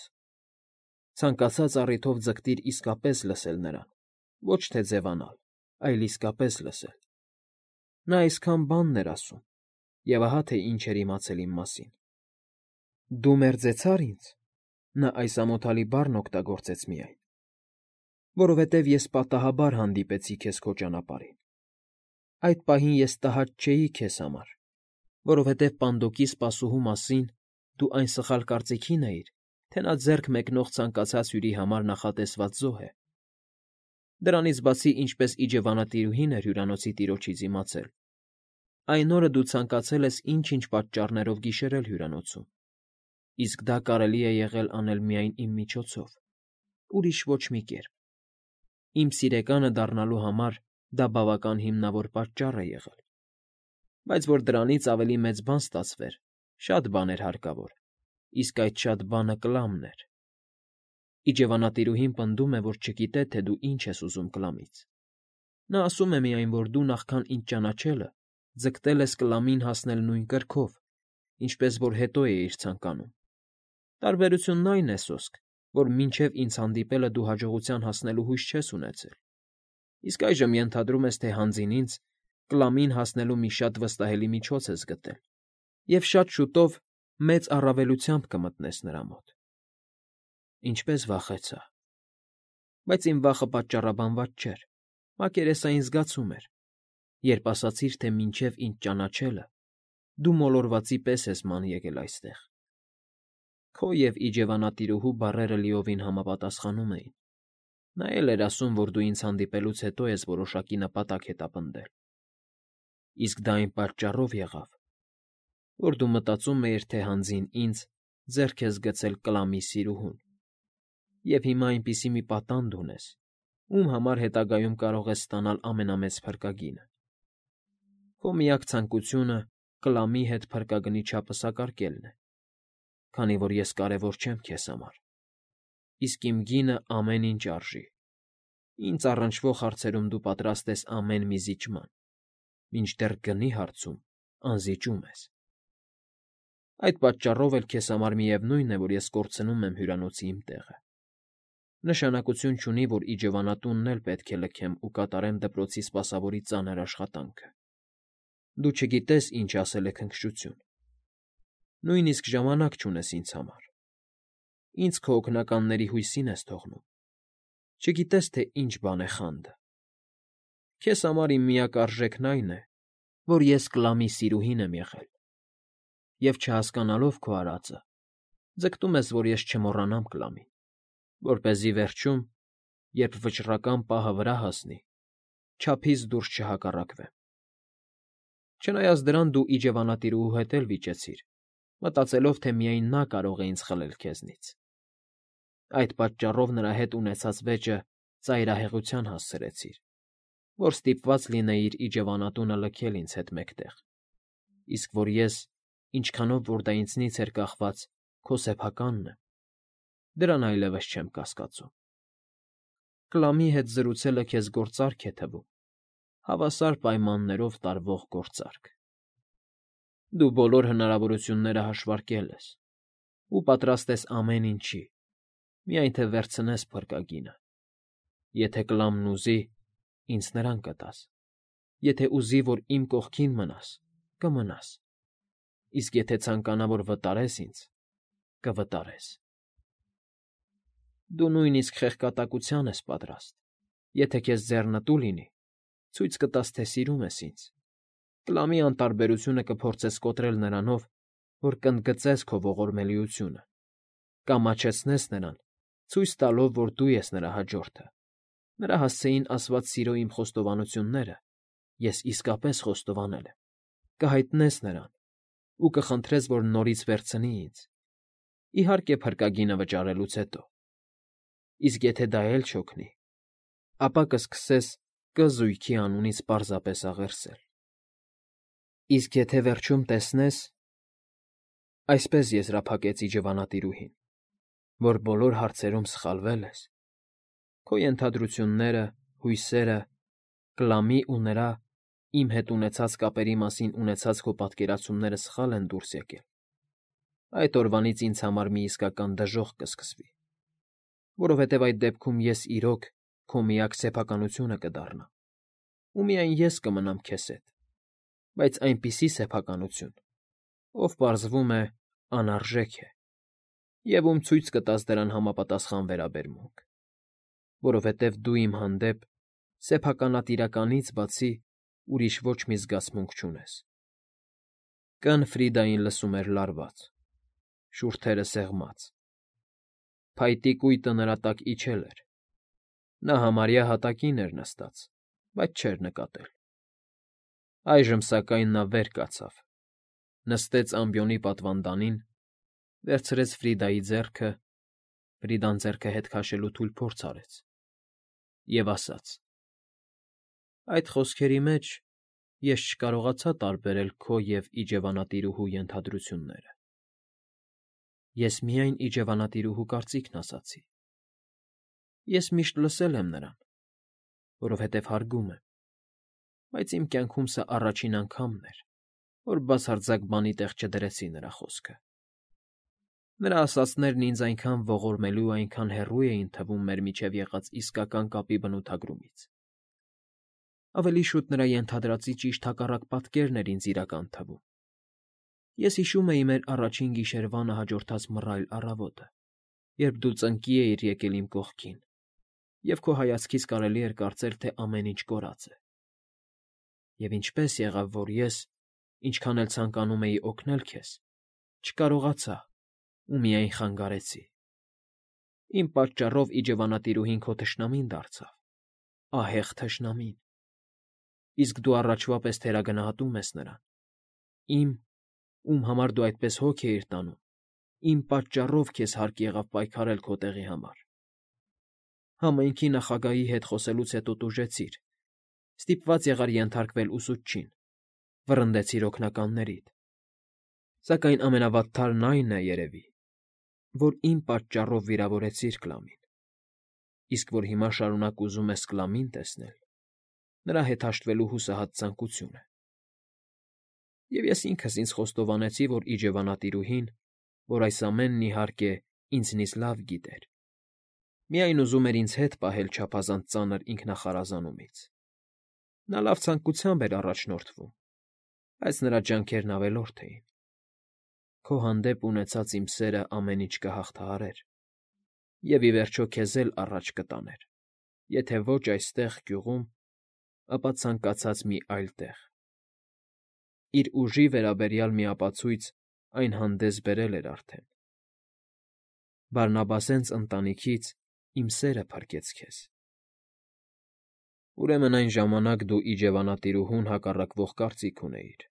Ցանկացած առիթով ձգտիր իսկապես լսել նրան, ոչ թե ձևանալ, այլ իսկապես լսել։ Նա այսքան բանն էր ասում, և ահա թե ինչ էր իմացել իմ մասին։ Դու մերձեցա՞ր ինձ, նա այս ամոթալի բառն օգտագործեց միայն, որովհետև ես պատահաբար հանդիպեցի քեզ քո ճանապարհին։ Այդ պահին ես տհաճ չէի քեզ համար, որովհետև Պանդոկի սպասուհու մասին դու այն սխալ կարծիքին էիր, թե նա ձեռք մեկնող ցանկացած հյուրի համար նախատեսված զոհ է։ Դրանից բացի, ինչպես իջևանատիրուհին էր հյուրանոցի տիրոջից իմացել, այն օրը դու ցանկացել ես ինչ֊ինչ պատճառներով գիշերել հյուրանոցում, իսկ դա կարելի է եղել անել միայն իմ միջոցով, ուրիշ ոչ մի կերպ։ Իմ սիրեկանը դառնալու համար դա բավական հիմնավոր պատճառ է եղել։ Բայց որ դրանից ավելի մեծ բան ստացվեր, շատ բան էր հարկավոր, իսկ այդ շատ բանը Կլամն էր։ Իջևանատիրուհին պնդում է, որ չգիտե, թե դու ինչ ես ուզում Կլամից։ Նա ասում է միայն, որ դու նախքան ինձ ճանաչելը ձգտել ես Կլամին հասնել նույն կրքով, ինչպես որ հետո էիր ցանկանում։ Տարբերությունն այն է, սոսկ, որ մինչև ինձ հանդիպելը դու հաջողության հասնելու հույս չես ունեցել, իսկ այժմ ենթադրում ես, թե հանձին ինձ Կլամին հասնելու մի շատ վստահելի միջոց ես գտել, և շատ շուտով մեծ առավելությամբ կմտնես նրա մոտ։ Ինչպես վախեցա։ Բայց իմ վախը պատճառաբանված չէր, մակերեսային զգացում էր, երբ ասացիր, թե մինչև ինձ ճանաչելը դու մոլորվածի պես ես ման եկել այստեղ։ Քո և իջևանատիրուհու բառերը լիովին համապատասխանում էին։ Նա էլ էր ասում, որ դու ինձ հանդիպելուց հետո ես որոշակի նպատակ հետապնդել։ Իսկ դա այն պատճառով եղավ, որ դու մտածում էիր, թե հանձին ինձ ձեռք ես գցել Կլամի սիրուհուն, և հիմա այնպիսի մի պատանդ ունես, ում համար հետագայում կարող ես ստանալ ամենամեծ փրկագինը։ Քո միակ ցանկությունը Կլամի հետ փրկագնի չափը սակարկելն է, քանի որ ես կարևոր չեմ քեզ համար, իսկ իմ գինը ամեն ինչ արժի։ Ինձ առնչվող հարցերում դու պատրաստ ես ամեն մի զիջման, մինչդեռ գնի հարցում անզիջում ես։ Այդ պատճառով էլ քեզ համար միևնույն է, որ ես կորցնում եմ հյուրանոցի իմ տեղը։ Նշանակություն չունի, որ իջևանատունն էլ պետք է լքեմ ու կատարեմ դպրոցի սպասավորի ծանր աշխատանքը։ Դու չգիտես ինչ ասել է քնքշություն։ Նույնիսկ ժամանակ չունես ինձ համար։ Ինձ քո օգնականների հույսին ես թողնում։ Չգիտես, թե ինչ բան է խանդը։ Քեզ համար իմ միակ արժեքն այն է, որ ես Կլամի սիրուհին եմ եղել, և չհասկանալով քո արածը, ձգտում ես, որ ես չմոռանամ Կլամին, որպեսզի վերջում, երբ վճռական պահը վրա հասնի, չափից դուրս չհակառակվեմ։ Չնայած դրան դու իջևանատիրուհու հետ էլ վիճեցիր, մտածելով, թե միայն նա կարող է ինձ խլել քեզնից։ Այդ պատճառով նրա հետ ունեցած վեճը ծայրահեղության հասցրեցիր, որ ստիպված լինեիր իջևանատունը լքել ինձ հետ մեկտեղ, իսկ որ ես, ինչքանով որ դա ինձնից էր կախված, քո սեփականն եմ, դրան այլևս չեմ կասկածում։ Կլամի հետ զրուցելը քեզ գործարք է թվում, հավասար պայմաններով տարվող գործարք։ Դու բոլոր հնարավորությունները հաշվարկել ես ու պատրաստ ես ամեն ինչի, միայն թե վերցնես փրկագինը։ Եթե Կլամն ուզի, ինձ նրան կտաս, եթե ուզի, որ իմ կողքին մնաս, կմնաս, իսկ եթե ցանկանա, որ վտարես ինձ, կվտարես։ Դու նույնիսկ խեղկատակության ես պատրաստ, եթե քեզ ձեռնտու լինի, ցույց կտաս, թե սիրում ես ինձ։ Կլամի անտարբերությունը կփորձես կոտրել նրանով, որ կընդգծես քո ողորմելիությունը, կամաչեցնես նրան, ցույց տալով, որ դու ես նրա հաջորդը։ Նրա հասցեին ասված սիրո իմ խոստովանությունները ես իսկապես խոստովանել եմ, կհայտնես նրան ու կխնդրես, որ նորից վերցնի ինձ, Իհարկե, փրկագինը վճարելուց հետո։ Իսկ եթե դա էլ չօգնի, ապա կսկսես Կ զույգի անունից պարզապես աղերսել։ Իսկ եթե վերջում տեսնես… Այսպես եզրափակեց իջևանատիրուհին, որ բոլոր հարցերում սխալվել ես, քո ենթադրությունները, հույսերը, Կլամի ու նրա իմ հետ ունեցած կապերի մասին ունեցած քո պատկերացումները սխալ են դուրս եկել, այդ օրվանից ինձ համար մի իսկական դժոխք կսկսվի, որովհետև այդ դեպքում ես իրոք քո միակ սեփականությունը կդառնամ, ու միայն ես կմնամ քեզ հետ, բայց այնպիսի սեփականություն, ով պարզվում է անարժեք է, և ում ցույց կտաս դրան համապատասխան վերաբերմունք, որովհետև դու իմ հանդեպ սեփականատիրականից բացի ուրիշ ոչ մի զգացմունք չունես։ Կն Ֆրիդային լսում էր լարված, շուրթերը սեղմած, փայտի կույտը նրա տակ իջել էր, նա համարյա հատակին էր նստած, բայց չէր նկատել։ Այժմ, սակայն, նա վեր կացավ, նստեց ամբիոնի պատվանդանին, վերցրեց Ֆրիդայի ձեռքը, Ֆրիդան ձեռքը հետ քաշելու թույլ փորձ արեց և ասաց. «Այդ խոսքերի մեջ ես չկարողացա տարբերել քո և իջևանատիրուհու ենթադրությունները։ Ես միայն իջևանատիրուհու կարծիքն ասացի։ Ես միշտ լսել եմ նրան, որովհետև հարգում եմ, բայց իմ կյանքում սա առաջին անգամն էր, որ բացարձակ բանի տեղ չդրեցի նրա խոսքը։ Նրա ասածներն ինձ այնքան ողորմելու ու այնքան հեռու էին թվում մեր միջև եղած իսկական կապի բնութագրումից։ Ավելի շուտ նրա ենթադրածի ճիշտ հակառակ պատկերն էր ինձ իրական թվում։ Ես հիշում էի մեր առաջին գիշերվանը հաջորդած մռայլ առավոտը, երբ դու ծնկի էիր եկել իմ կողքին, և քո հայացքից կարելի էր կարծել, թե ամեն ինչ կորած է։ Եվ ինչպես եղավ, որ ես, ինչքան էլ ցանկանում էի օգնել քեզ, չկարողացա ու միայն խանգարեցի։ Իմ պատճառով իջևանատիրուհին քո թշնամին դարձավ, ահեղ թշնամին, իսկ դու առաջվա պես թերագնահատում ես նրան, իմ, ում համար դու այդպես հոգ էիր տանում, իմ պատճառով քեզ հարկ եղավ պայքարել քո տեղի համար։ Համայնքի նախագահի հետ խոսելուց հետո տուժեցիր, ստիպված եղար ենթարկվել ուսուցչին, վռնդեցիր օգնականներիդ, սակայն ամենավատթարն այն է, երևի, որ իմ պատճառով վիրավորեցիր Կլամին, իսկ որ հիմա շարունակ ուզում ես Կլամին տեսնել, նրա հետ հաշտվելու հուսահատ ցանկությունը։ Եվ ես ինքս ինձ խոստովանեցի, որ իջևանատիրուհին, որ այս ամենն, իհարկե, ինձնից լավ գիտեր, միայն ուզում էր ինձ հետ պահել չափազանց ծանր ինքնախարազանումից։ Նա լավ ցանկությամբ էր առաջնորդվում, բայց նրա ջանքերն ավելորդ էին։ Քո հանդեպ ունեցած իմ սերը ամեն ինչ կհաղթահարեր և, ի վերջո, քեզ էլ առաջ կտաներ, եթե ոչ այստեղ, գյուղում, ապա ցանկացած մի այլ տեղ։ Իր ուժի վերաբերյալ մի ապացույց այն հանդես բերել էր արդեն։ Բարնաբասենց ընտանիքից իմ սերը փրկեց քեզ։ Ուրեմն այն ժամանակ դու իջևանատիրուհուն հակառակվող կարծիք ունեիր,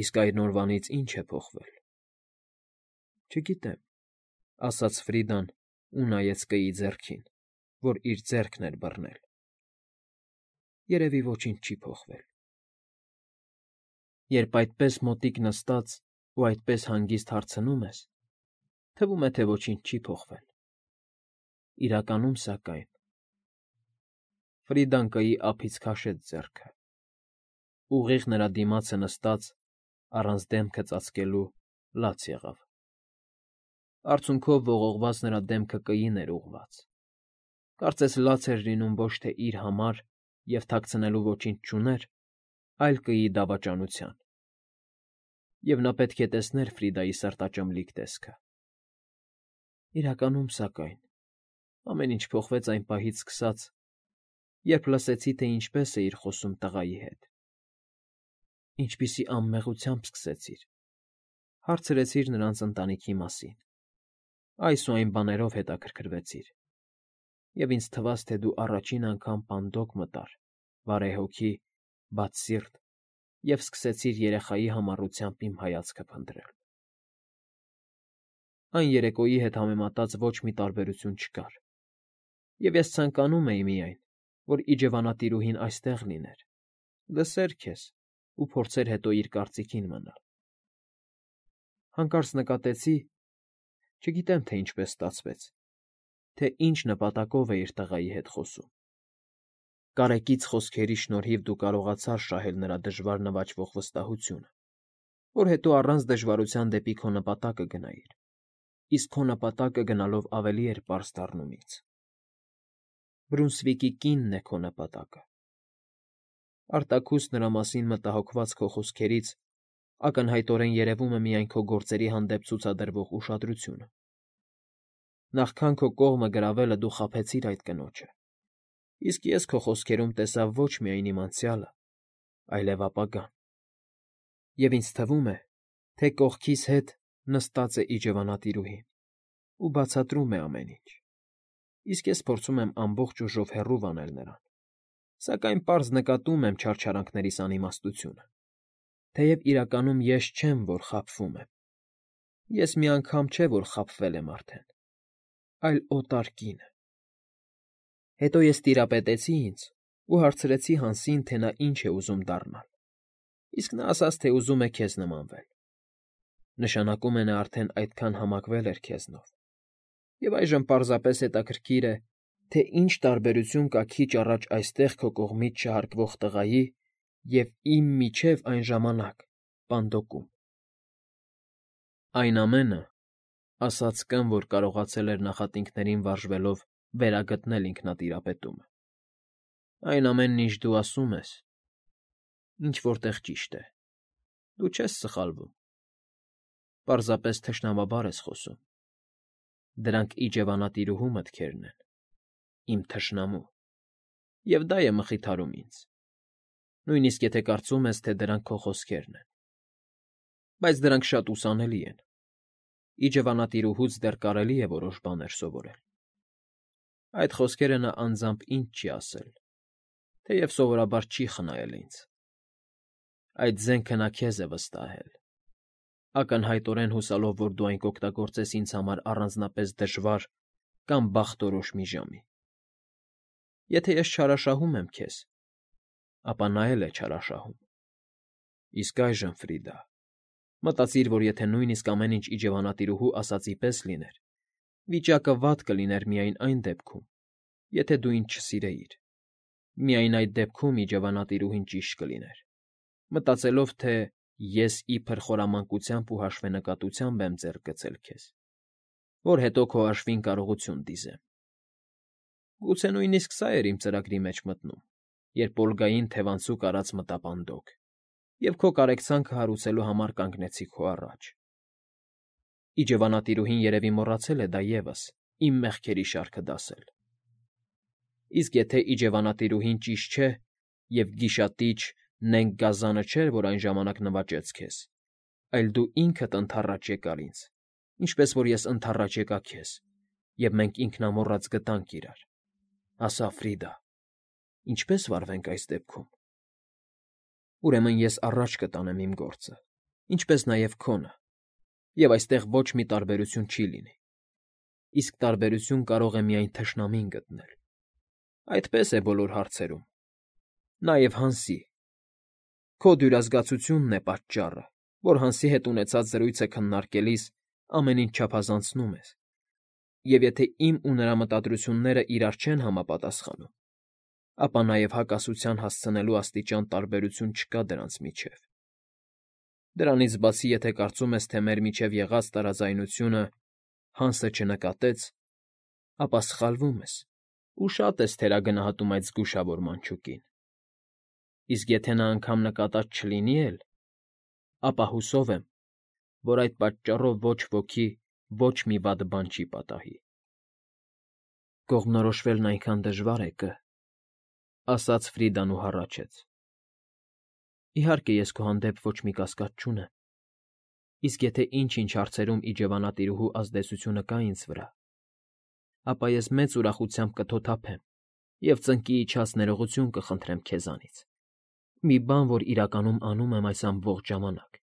իսկ այն օրվանից ի՞նչ է փոխվել։ Չգիտեմ,֊ ասաց Ֆրիդան ու նայեց կգի ձեռքին, որ իր ձեռքն էր բռնել։ Երևի ոչինչ չի փոխվել։ Երբ այդպես մոտիկ նստած ու այդպես հանգիստ հարցնում ես, թվում է, թե ոչինչ չի փոխվել։ Իրականում, սակայն… Ֆրիդան կգի ափից քաշեց ձեռքը, ուղիղ նրա դիմացը նստած, առանց դեմքը ծածկելու, լաց եղավ։ Արցունքով ողողված նրա դեմքը կգին էր ուղղված, կարծես լաց էր լինում ոչ թե իր համար և թաքցնելու ոչինչ չուներ, այլ կգի դավաճանության։ Եվ նա պետք է տեսներ Ֆրիդայի սրտաճմլիկ տեսքը։ Իրականում, սակայն, ամեն ինչ փոխվեց այն պահից սկսած, երբ լսեցի, թե ինչպես էիր խոսում տղայի հետ։ Ինչպիսի անմեղությամբ սկսեցիր, հարցրեցիր նրանց ընտանիքի մասին, այս ու այն բաներով հետաքրքրվեցիր, և ինձ թվաց, թե դու առաջին անգամ պանդոկ մտար, բարեհոգի, բաց սիրտ և սկսեցիր երեխայի համառությամբ իմ հայացքը փնտրել։ Այն երեկոյի հետ համեմատած ոչ մի տարբերություն չկար, և ես ցանկանում էի միայն, որ իջևանատիրուհին այստեղ լիներ, լսեր քեզ ու փորձեր հետո իր կարծիքին մնալ։ Հանկարծ նկատեցի, չգիտեմ, թե ինչպես ստացվեց, թե ինչ նպատակով էիր տղայի հետ խոսում։ Կարեկից խոսքերի շնորհիվ դու կարողացար շահել նրա դժվար նվաճվող վստահությունը, որ հետո առանց դժվարության դեպի քո նպատակը գնայիր, իսկ քո նպատակը գնալով ավելի էր պարզ դառնում ինձ։ Բրունսվիկի կինն է քո նպատակը։ Արտաքուստ նրա մասին մտահոգված քո խոսքերից ակնհայտորեն երևում է միայն քո գործերի հանդեպ ցուցադրվող ուշադրությունը։ Նախքան քո կողմը գրավելը դու խաբեցիր այդ կնոջը, իսկ ես քո խոսքերում տեսա ոչ միայն իմ անցյալը, այլև ապագան։ Եվ ինձ թվում է, թե կողքիս հետ նստած է իջևանատիրուհին ու բացատրում է ամեն ինչ, իսկ ես փորձում եմ ամբողջ ուժով հեռու վանել նրան, սակայն պարզ նկատում եմ չարչարանքներիս անիմաստությունը, թեև իրականում ես չեմ, որ խաբվում եմ, ես մի անգամ չէ, որ խաբվել եմ արդեն, այլ օտար կինը։ Հետո ես տիրապետեցի ինձ ու հարցրեցի Հանսին, թե նա ինչ է ուզում դառնալ, իսկ նա ասաց, թե ուզում է քեզ նմանվել։ Նշանակում է նա արդեն այդքան համակվել էր քեզնով, և այժմ պարզապես հետաքրքիր է, թե ինչ տարբերություն կա քիչ առաջ այստեղ քո կողմից չհարգվող տղայի և իմ միջև այն ժամանակ պանդոկում։ Այն ամենը, ասաց կն, որ կարողացել էր նախատինքներին վարժվելով վերագտնել ինքնատիրապետումը, այն ամենն, ինչ դու ասում ես, ինչ֊որ տեղ ճիշտ է, դու չես սխալվում, պարզապես թշնամաբար ես խոսում, դրանք իջևանատիրուհու մտքերն են, իմ թշնամու, և դա է մխիթարում ինձ, նույնիսկ եթե կարծում ես, թե դրանք քո խոսքերն են, բայց դրանք շատ ուսանելի են, իջևանատիրուհուց դեռ կարելի է որոշ բաներ սովորել։ Այդ խոսքերը նա անձամբ ինձ չի ասել, թեև սովորաբար չի խնայել ինձ։ Այդ զենքը նա քեզ է վստահել, ակնհայտորեն հուսալով, որ դու այն կօգտագործես ինձ համար առանձնապես դժվար կամ բախտորոշ մի ժամի։ Եթե ես չարաշահում եմ քեզ, ապա նա էլ է չարաշահում։ Իսկ այժմ, Ֆրիդա, մտածիր, որ եթե նույնիսկ ամեն ինչ իջևանատիրուհու ասածի պես լիներ, վիճակը վատ կլիներ միայն այն դեպքում, եթե դու ինձ չսիրեիր, միայն այդ դեպքում իջևանատիրուհին ճիշտ կլիներ, մտածելով, թե ես իբր խորամանկությամբ ու հաշվենկատությամբ եմ ձեռք գցել քեզ, որ հետո քո հաշվին կարողություն դիզեմ։ Գուցե նույնիսկ սա էր իմ ծրագրի մեջ մտնում, երբ Օլգային թևանցուկ արած մտապանդոկ, և քո կարեկցանքը հարուցելու համար կանգնեցի քո առաջ։ Իջևանատիրուհին երևի մոռացել է դա ևս, իմ մեղքերի շարքը դասել։ Իսկ եթե իջևանատիրուհին ճիշտ չէ, և գիշատիչ Նենգ Գազանը չէր, որ այն ժամանակ նվաճեց քեզ, այլ դու ինքդ ընդառաջ եկար ինձ, ինչպես որ ես ընդառաջ եկա քեզ, և մենք ինքնամոռաց գտանք իրար, ասա, Ֆրիդա, ինչպե՞ս վարվենք այս դեպքում։ Ուրեմն ես առաջ կտանեմ իմ գործը, ինչպես նաև քոնը, և այստեղ ոչ մի տարբերություն չի լինի, իսկ տարբերություն կարող է միայն թշնամին գտնել։ Այդպես է բոլոր հարցերում, նաև Հանսի։ Քո դյուրազգացությունն է պատճառը, որ Հանսի հետ ունեցած զրույցը քննարկելիս ամեն ինչ չափազանցնում ես, և եթե իմ ու նրա մտադրությունները իրար չեն համապատասխանում, ապա նաև հակասության հասցնելու աստիճան տարբերություն չկա դրանց միջև։ Դրանից բացի, եթե կարծում ես, թե մեր միջև եղած տարաձայնությունը Հանսը չնկատեց, ապա սխալվում ես ու շատ ես թերագնահատում այդ զգուշավոր մանչուկին։ Իսկ եթե նա անգամ նկատած չլինի էլ, ապա հուսով եմ, որ այդ պատճառով ոչ ոքի ոչ մի վատ բան չի պատահի։ Կողմնորոշվելն այնքան դժվար է, Կ. ասաց Ֆրիդան ու հառաչեց։ Իհարկե, ես քո հանդեպ ոչ մի կասկած չունեմ, իսկ եթե ինչ-ինչ հարցերում իջևանատիրուհու ազդեցությունը կա ինձ վրա, ապա ես մեծ ուրախությամբ կթոթափեմ և ծնկի իջած ներողություն կխնդրեմ քեզանից, մի բան, որ իրականում անում եմ այս ամբողջ ժամանակ,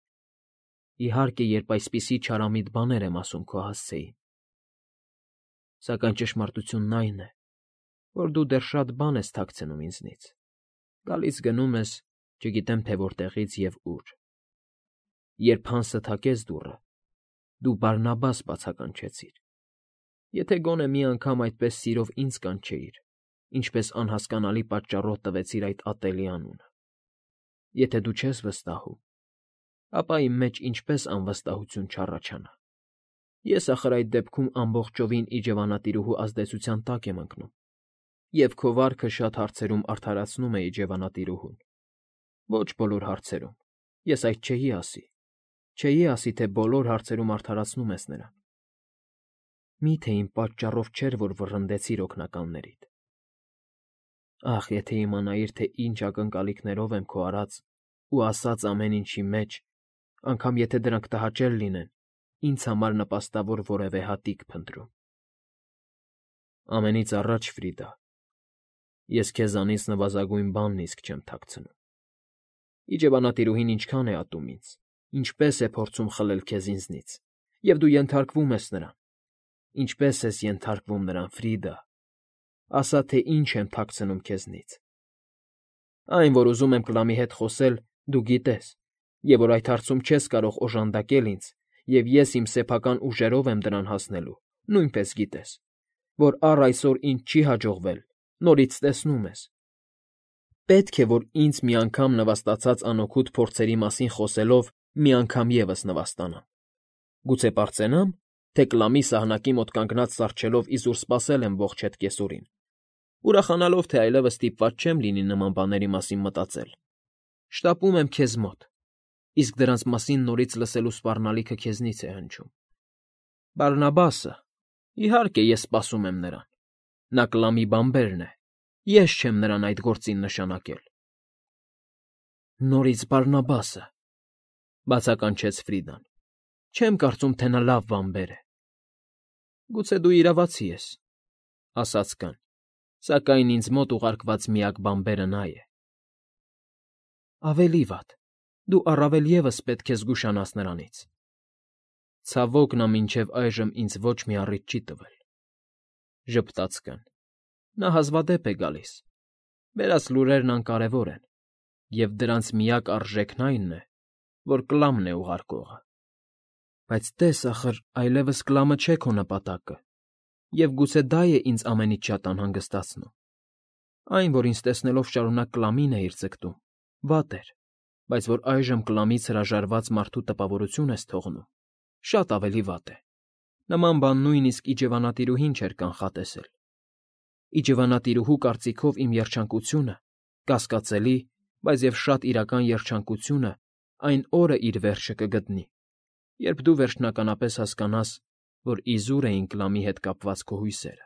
Իհարկե, երբ այսպիսի չարամիտ բաներ եմ ասում քո հասցեին։ Սակայն ճշմարտությունն այն է, որ դու դեռ շատ բան ես թաքցնում ինձնից, գալիս գնում ես, չգիտեմ թե որտեղից և ուր։ Երբ Հանսը թակեց դուռը, դու Բարնաբաս բացականչեցիր։ Եթե գոնե մի անգամ այդպես սիրով ինձ կանչեիր, ինչպես անհասկանալի պատճառով տվեցիր այդ ատելի անունը։ Եթե դու չես վստահում, ապա իմ մեջ ինչպես անվստահություն չառաջանա։ Ես ախր այդ դեպքում ամբողջովին իջևանատիրուհու ազդեցության տակ եմ ընկնում, և քո վարքը շատ հարցերում արդարացնում է իջևանատիրուհուն։ Ոչ բոլոր հարցերում, ես այդ չէի ասի, չէի ասի, թե բոլոր հարցերում արդարացնում ես նրան։ Մի՞թե իմ պատճառով չէր, որ վռնդեցիր օգնականներիդ։ Ախ, եթե իմանայիր, թե ինչ ակնկալիքներով եմ քո արած ու ասած ամեն ինչի մեջ, անգամ եթե դրանք տհաճել լինեն, ինձ համար նպաստավոր որևէ հատիկ փնտրում։ Ամենից առաջ, Ֆրիդա, ես քեզանից նվազագույն բանն իսկ չեմ թաքցնում։ Իջևանատիրուհին ինչքան է ատում ինձ, ինչպես է փորձում խլել քեզ ինձնից, և դու ենթարկվում ես նրան։ Ինչպես ես ենթարկվում նրան, Ֆրիդա, ասա, թե ինչ եմ թաքցնում քեզնից։ Այն, որ ուզում եմ Կլամի հետ խոսել, դու գիտես, և որ այդ հարցում չես կարող օժանդակել ինձ, և ես իմ սեփական ուժերով եմ դրան հասնելու, նույնպես գիտես, որ առ այսօր ինձ չի հաջողվել, նորից տեսնում ես։ Պետք է, որ ինձ մի անգամ նվաստացած անօգուտ փորձերի մասին խոսելով մի անգամ ևս նվաստանամ։ Գուցե պարծենա՞մ, թե Կլամի սահնակի մոտ կանգնած սառչելով իզուր սպասել եմ ողջ հետ կեսօրին, ուրախանալով, թե այլևս ստիպված չեմ լինի նման բաների մասին մտածել։ Շտապում եմ քեզ մոտ, իսկ դրանց մասին նորից լսելու սպառնալիքը քեզնից է հնչում։ Բարնաբասը, իհարկե, ես սպասում եմ նրան։ Նա Կլամի բանբերն է, ես չեմ նրան այդ գործին նշանակել։ Նորից Բարնաբասը, բացականչեց Ֆրիդան, չեմ կարծում, թե նա լավ բանբեր է։ Գուցե դու իրավացի ես, ասաց Կան, սակայն ինձ մոտ ուղարկված միակ բանբերը նա է։ Ավելի վատ, դու առավել ևս պետք է զգուշանաս նրանից։ Ցավոք, նա մինչև այժմ ինձ ոչ մի առիթ չի տվել, ժպտաց Կան։ Նա հազվադեպ է գալիս։ Բերած լուրերն անկարևոր են, և դրանց միակ արժեքն այն է, որ Կլամն է ուղարկողը։ Բայց տես, ախր այլևս Կլամը չէ քո նպատակը, և գուցե դա է ինձ ամենից շատ անհանգստացնում։ Այն, որ ինձ տեսնելով շարունակ Կլամին էիր ձգտում, վատ էր, բայց որ այժմ Կլամից հրաժարված մարդու տպավորություն ես թողնում, շատ ավելի վատ է։ Նման բան նույնիսկ իջևանատիրուհին չէր կանխատեսել։ Իջևանատիրուհու կարծիքով իմ երջանկությունը, կասկածելի, բայց և շատ իրական երջանկությունը այն օրը իր վերջը կգտնի, երբ դու վերջնականապես հասկանաս, որ իզուր էին Կլամի հետ կապված քո հույսերը։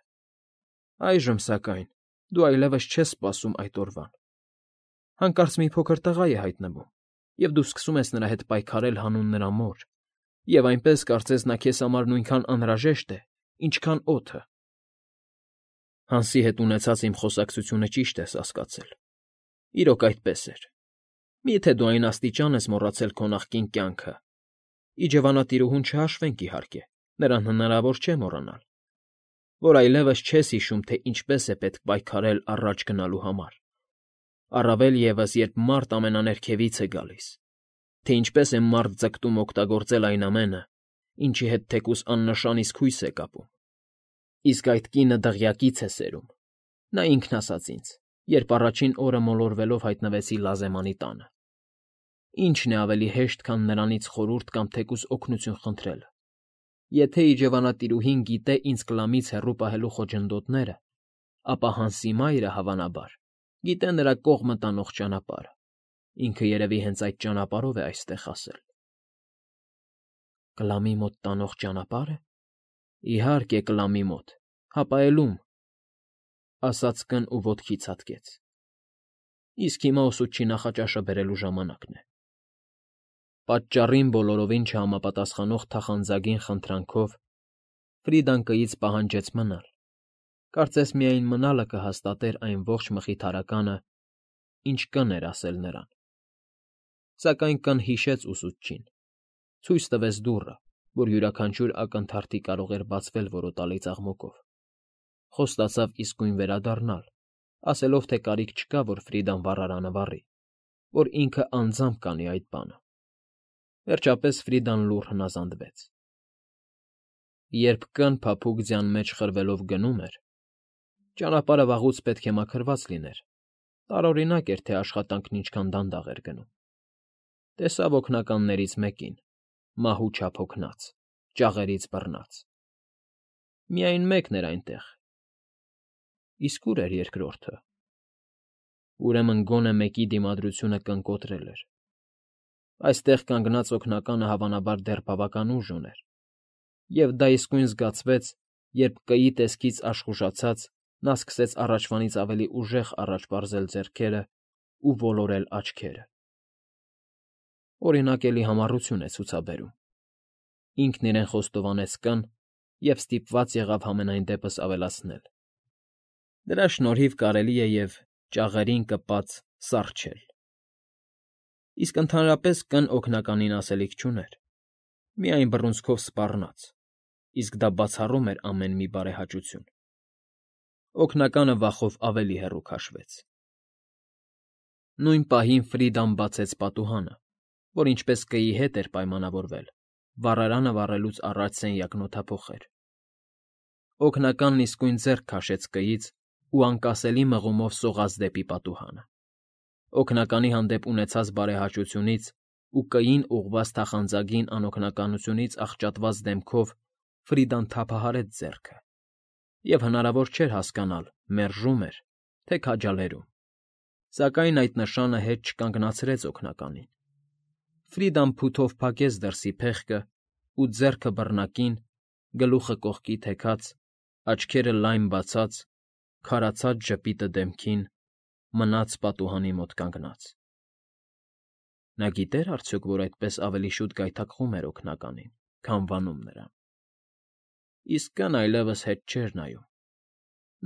Այժմ, սակայն, դու այլևս չես սպասում այդ օրվան։ Հանկարծ մի փոքր տղա է հայտնվում, և դու սկսում ես նրա հետ պայքարել հանուն նրա մոր, և այնպես կարծես նա քեզ համար նույնքան անհրաժեշտ է, ինչքան օդը։ Հանսի հետ ունեցած իմ խոսակցությունը ճիշտ ես հասկացել։ Իրոք այդպես էր։ Մի՞թե դու այն աստիճան ես մոռացել քո նախկին կյանքը։ Իջևանատիրուհուն չհաշվենք, իհարկե, նրան հնարավոր չէ մոռանալ, որ այլևս չես հիշում, թե ինչպես է պետք պայքարել առաջ գնալու համար, առավել ևս, երբ մարդ ամենաներքևից է գալիս, թե ինչպես է մարդ ձգտում օգտագործել այն ամենը, ինչի հետ թեկուզ աննշան իսկ հույս է կապում։ Իսկ այդ կինը դղյակից է սերում, նա ինքն ասաց ինձ, երբ առաջին օրը մոլորվելով հայտնվեցի Լազեմանի տանը։ Ի՞նչն է ավելի հեշտ, քան նրանից խորհուրդ կամ թեկուզ օգնություն խնդրելը։ Եթե իջևանատիրուհին գիտե ինձ Կլամից հեռու պահելու խոչընդոտները, ապա Հանսի մայրը, հավանաբար, գիտե նրա կողմը տանող ճանապարհը։ Ինքը երևի հենց այդ ճանապարհով է այստեղ հասել։ Կլամի մոտ տանող ճանապա՞րը։ Իհարկե, Կլամի մոտ, հապա էլ ում, ասաց Կն ու ոտքի ցատկեց։ Իսկ հիմա ուսուցչի նախաճաշը բերելու ժամանակն է։ Պատճառին բոլորովին չհամապատասխանող թախանձագին խնդրանքով Ֆրիդան կից պահանջեց մնալ։ Կարծես միայն մնալը կհաստատեր այն ողջ մխիթարականը, ինչ Կն էր ասել նրան։ Սակայն Կն հիշեց ուսուցչին, ցույց տվեց դուռը, որ յուրաքանչյուր ակնթարթի կարող էր բացվել որոտալի ծաղմուկով, խոստացավ իսկույն վերադառնալ, ասելով, թե կարիք չկա, որ Ֆրիդան վառարանը վառի, որ ինքը անձամբ կանի այդ բանը։ Վերջապես Ֆրիդան լուռ հնազանդվեց։ Երբ կն փափուկ ձյան մեջ խրվելով գնում էր, ճանապարհը վաղուց պետք է մաքրված լիներ, տարօրինակ էր, թե աշխատանքն ինչքան դանդաղ էր գնում։ Տեսավ օգնականներից մեկին, մահու չափ հոգնած, ճաղերից բռնած։ Միայն մեկն էր այնտեղ։ Իսկ ուր էր երկրորդը։ Ուրեմն գոնե մեկի դիմադրությունը կնկոտրել էր։ Այստեղ կանգնած օգնականը հավանաբար դեռ բավական ուժ ուներ, և դա իսկույն զգացվեց, երբ կայի տեսքից աշխուժացած նա սկսեց առաջվանից ավելի ուժեղ առաջ պարզել ձեռքերն ու ոլորել աչքերը։ Օրինակ, էլի համառություն է ցուցաբերում։ Ինքն իրեն խոստովանեց կն և ստիպված եղավ համենայն դեպս ավելացնել. դրա շնորհիվ կարելի է և ճաղերին կպած սառչել։ Իսկ ընդհանրապես կն օգնականին ասելիք չուներ, միայն բռունցքով սպառնաց, իսկ դա բացառում էր ամեն մի բարեհաճություն։ Օգնականը վախով ավելի հեռու քաշվեց։ Նույն պահին Ֆրիդան բացեց պատուհանը, որ ինչպես կայի հետ էր պայմանավորվել, վառարանը վառելուց առաջ սենյակն օդափոխեր։ Օգնականն իսկույն ձեռք քաշեց կայից ու անկասելի մղումով սողաց դեպի պատուհանը։ Օգնականի հանդեպ ունեցած բարեհաճությունից ու կային ուղղված թախանձագին անօգնականությունից աղճատված դեմքով Ֆրիդան թափահարեց ձեռքը, և հնարավոր չէր հասկանալ՝ մերժում էր, թե քաջալերում, սակայն այդ նշանը հետ չկանգնացրեց օգնականին։ Ֆրիդան փութով փակեց դրսի փեղկը ու ձեռքը բռնակին, գլուխը կողքի թեքած, աչքերը լայն բացած, քարացած ժպիտը դեմքին, մնաց պատուհանի մոտ կանգնած։ Նա գիտե՞ր արդյոք, որ այդպես ավելի շուտ գայթակղում էր օգնականին, քան վանում նրան։ Իսկ կն այլևս հետ չէր նայում։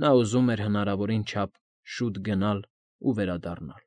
Նա ուզում էր հնարավորին չափ շուտ գնալ ու վերադառնալ։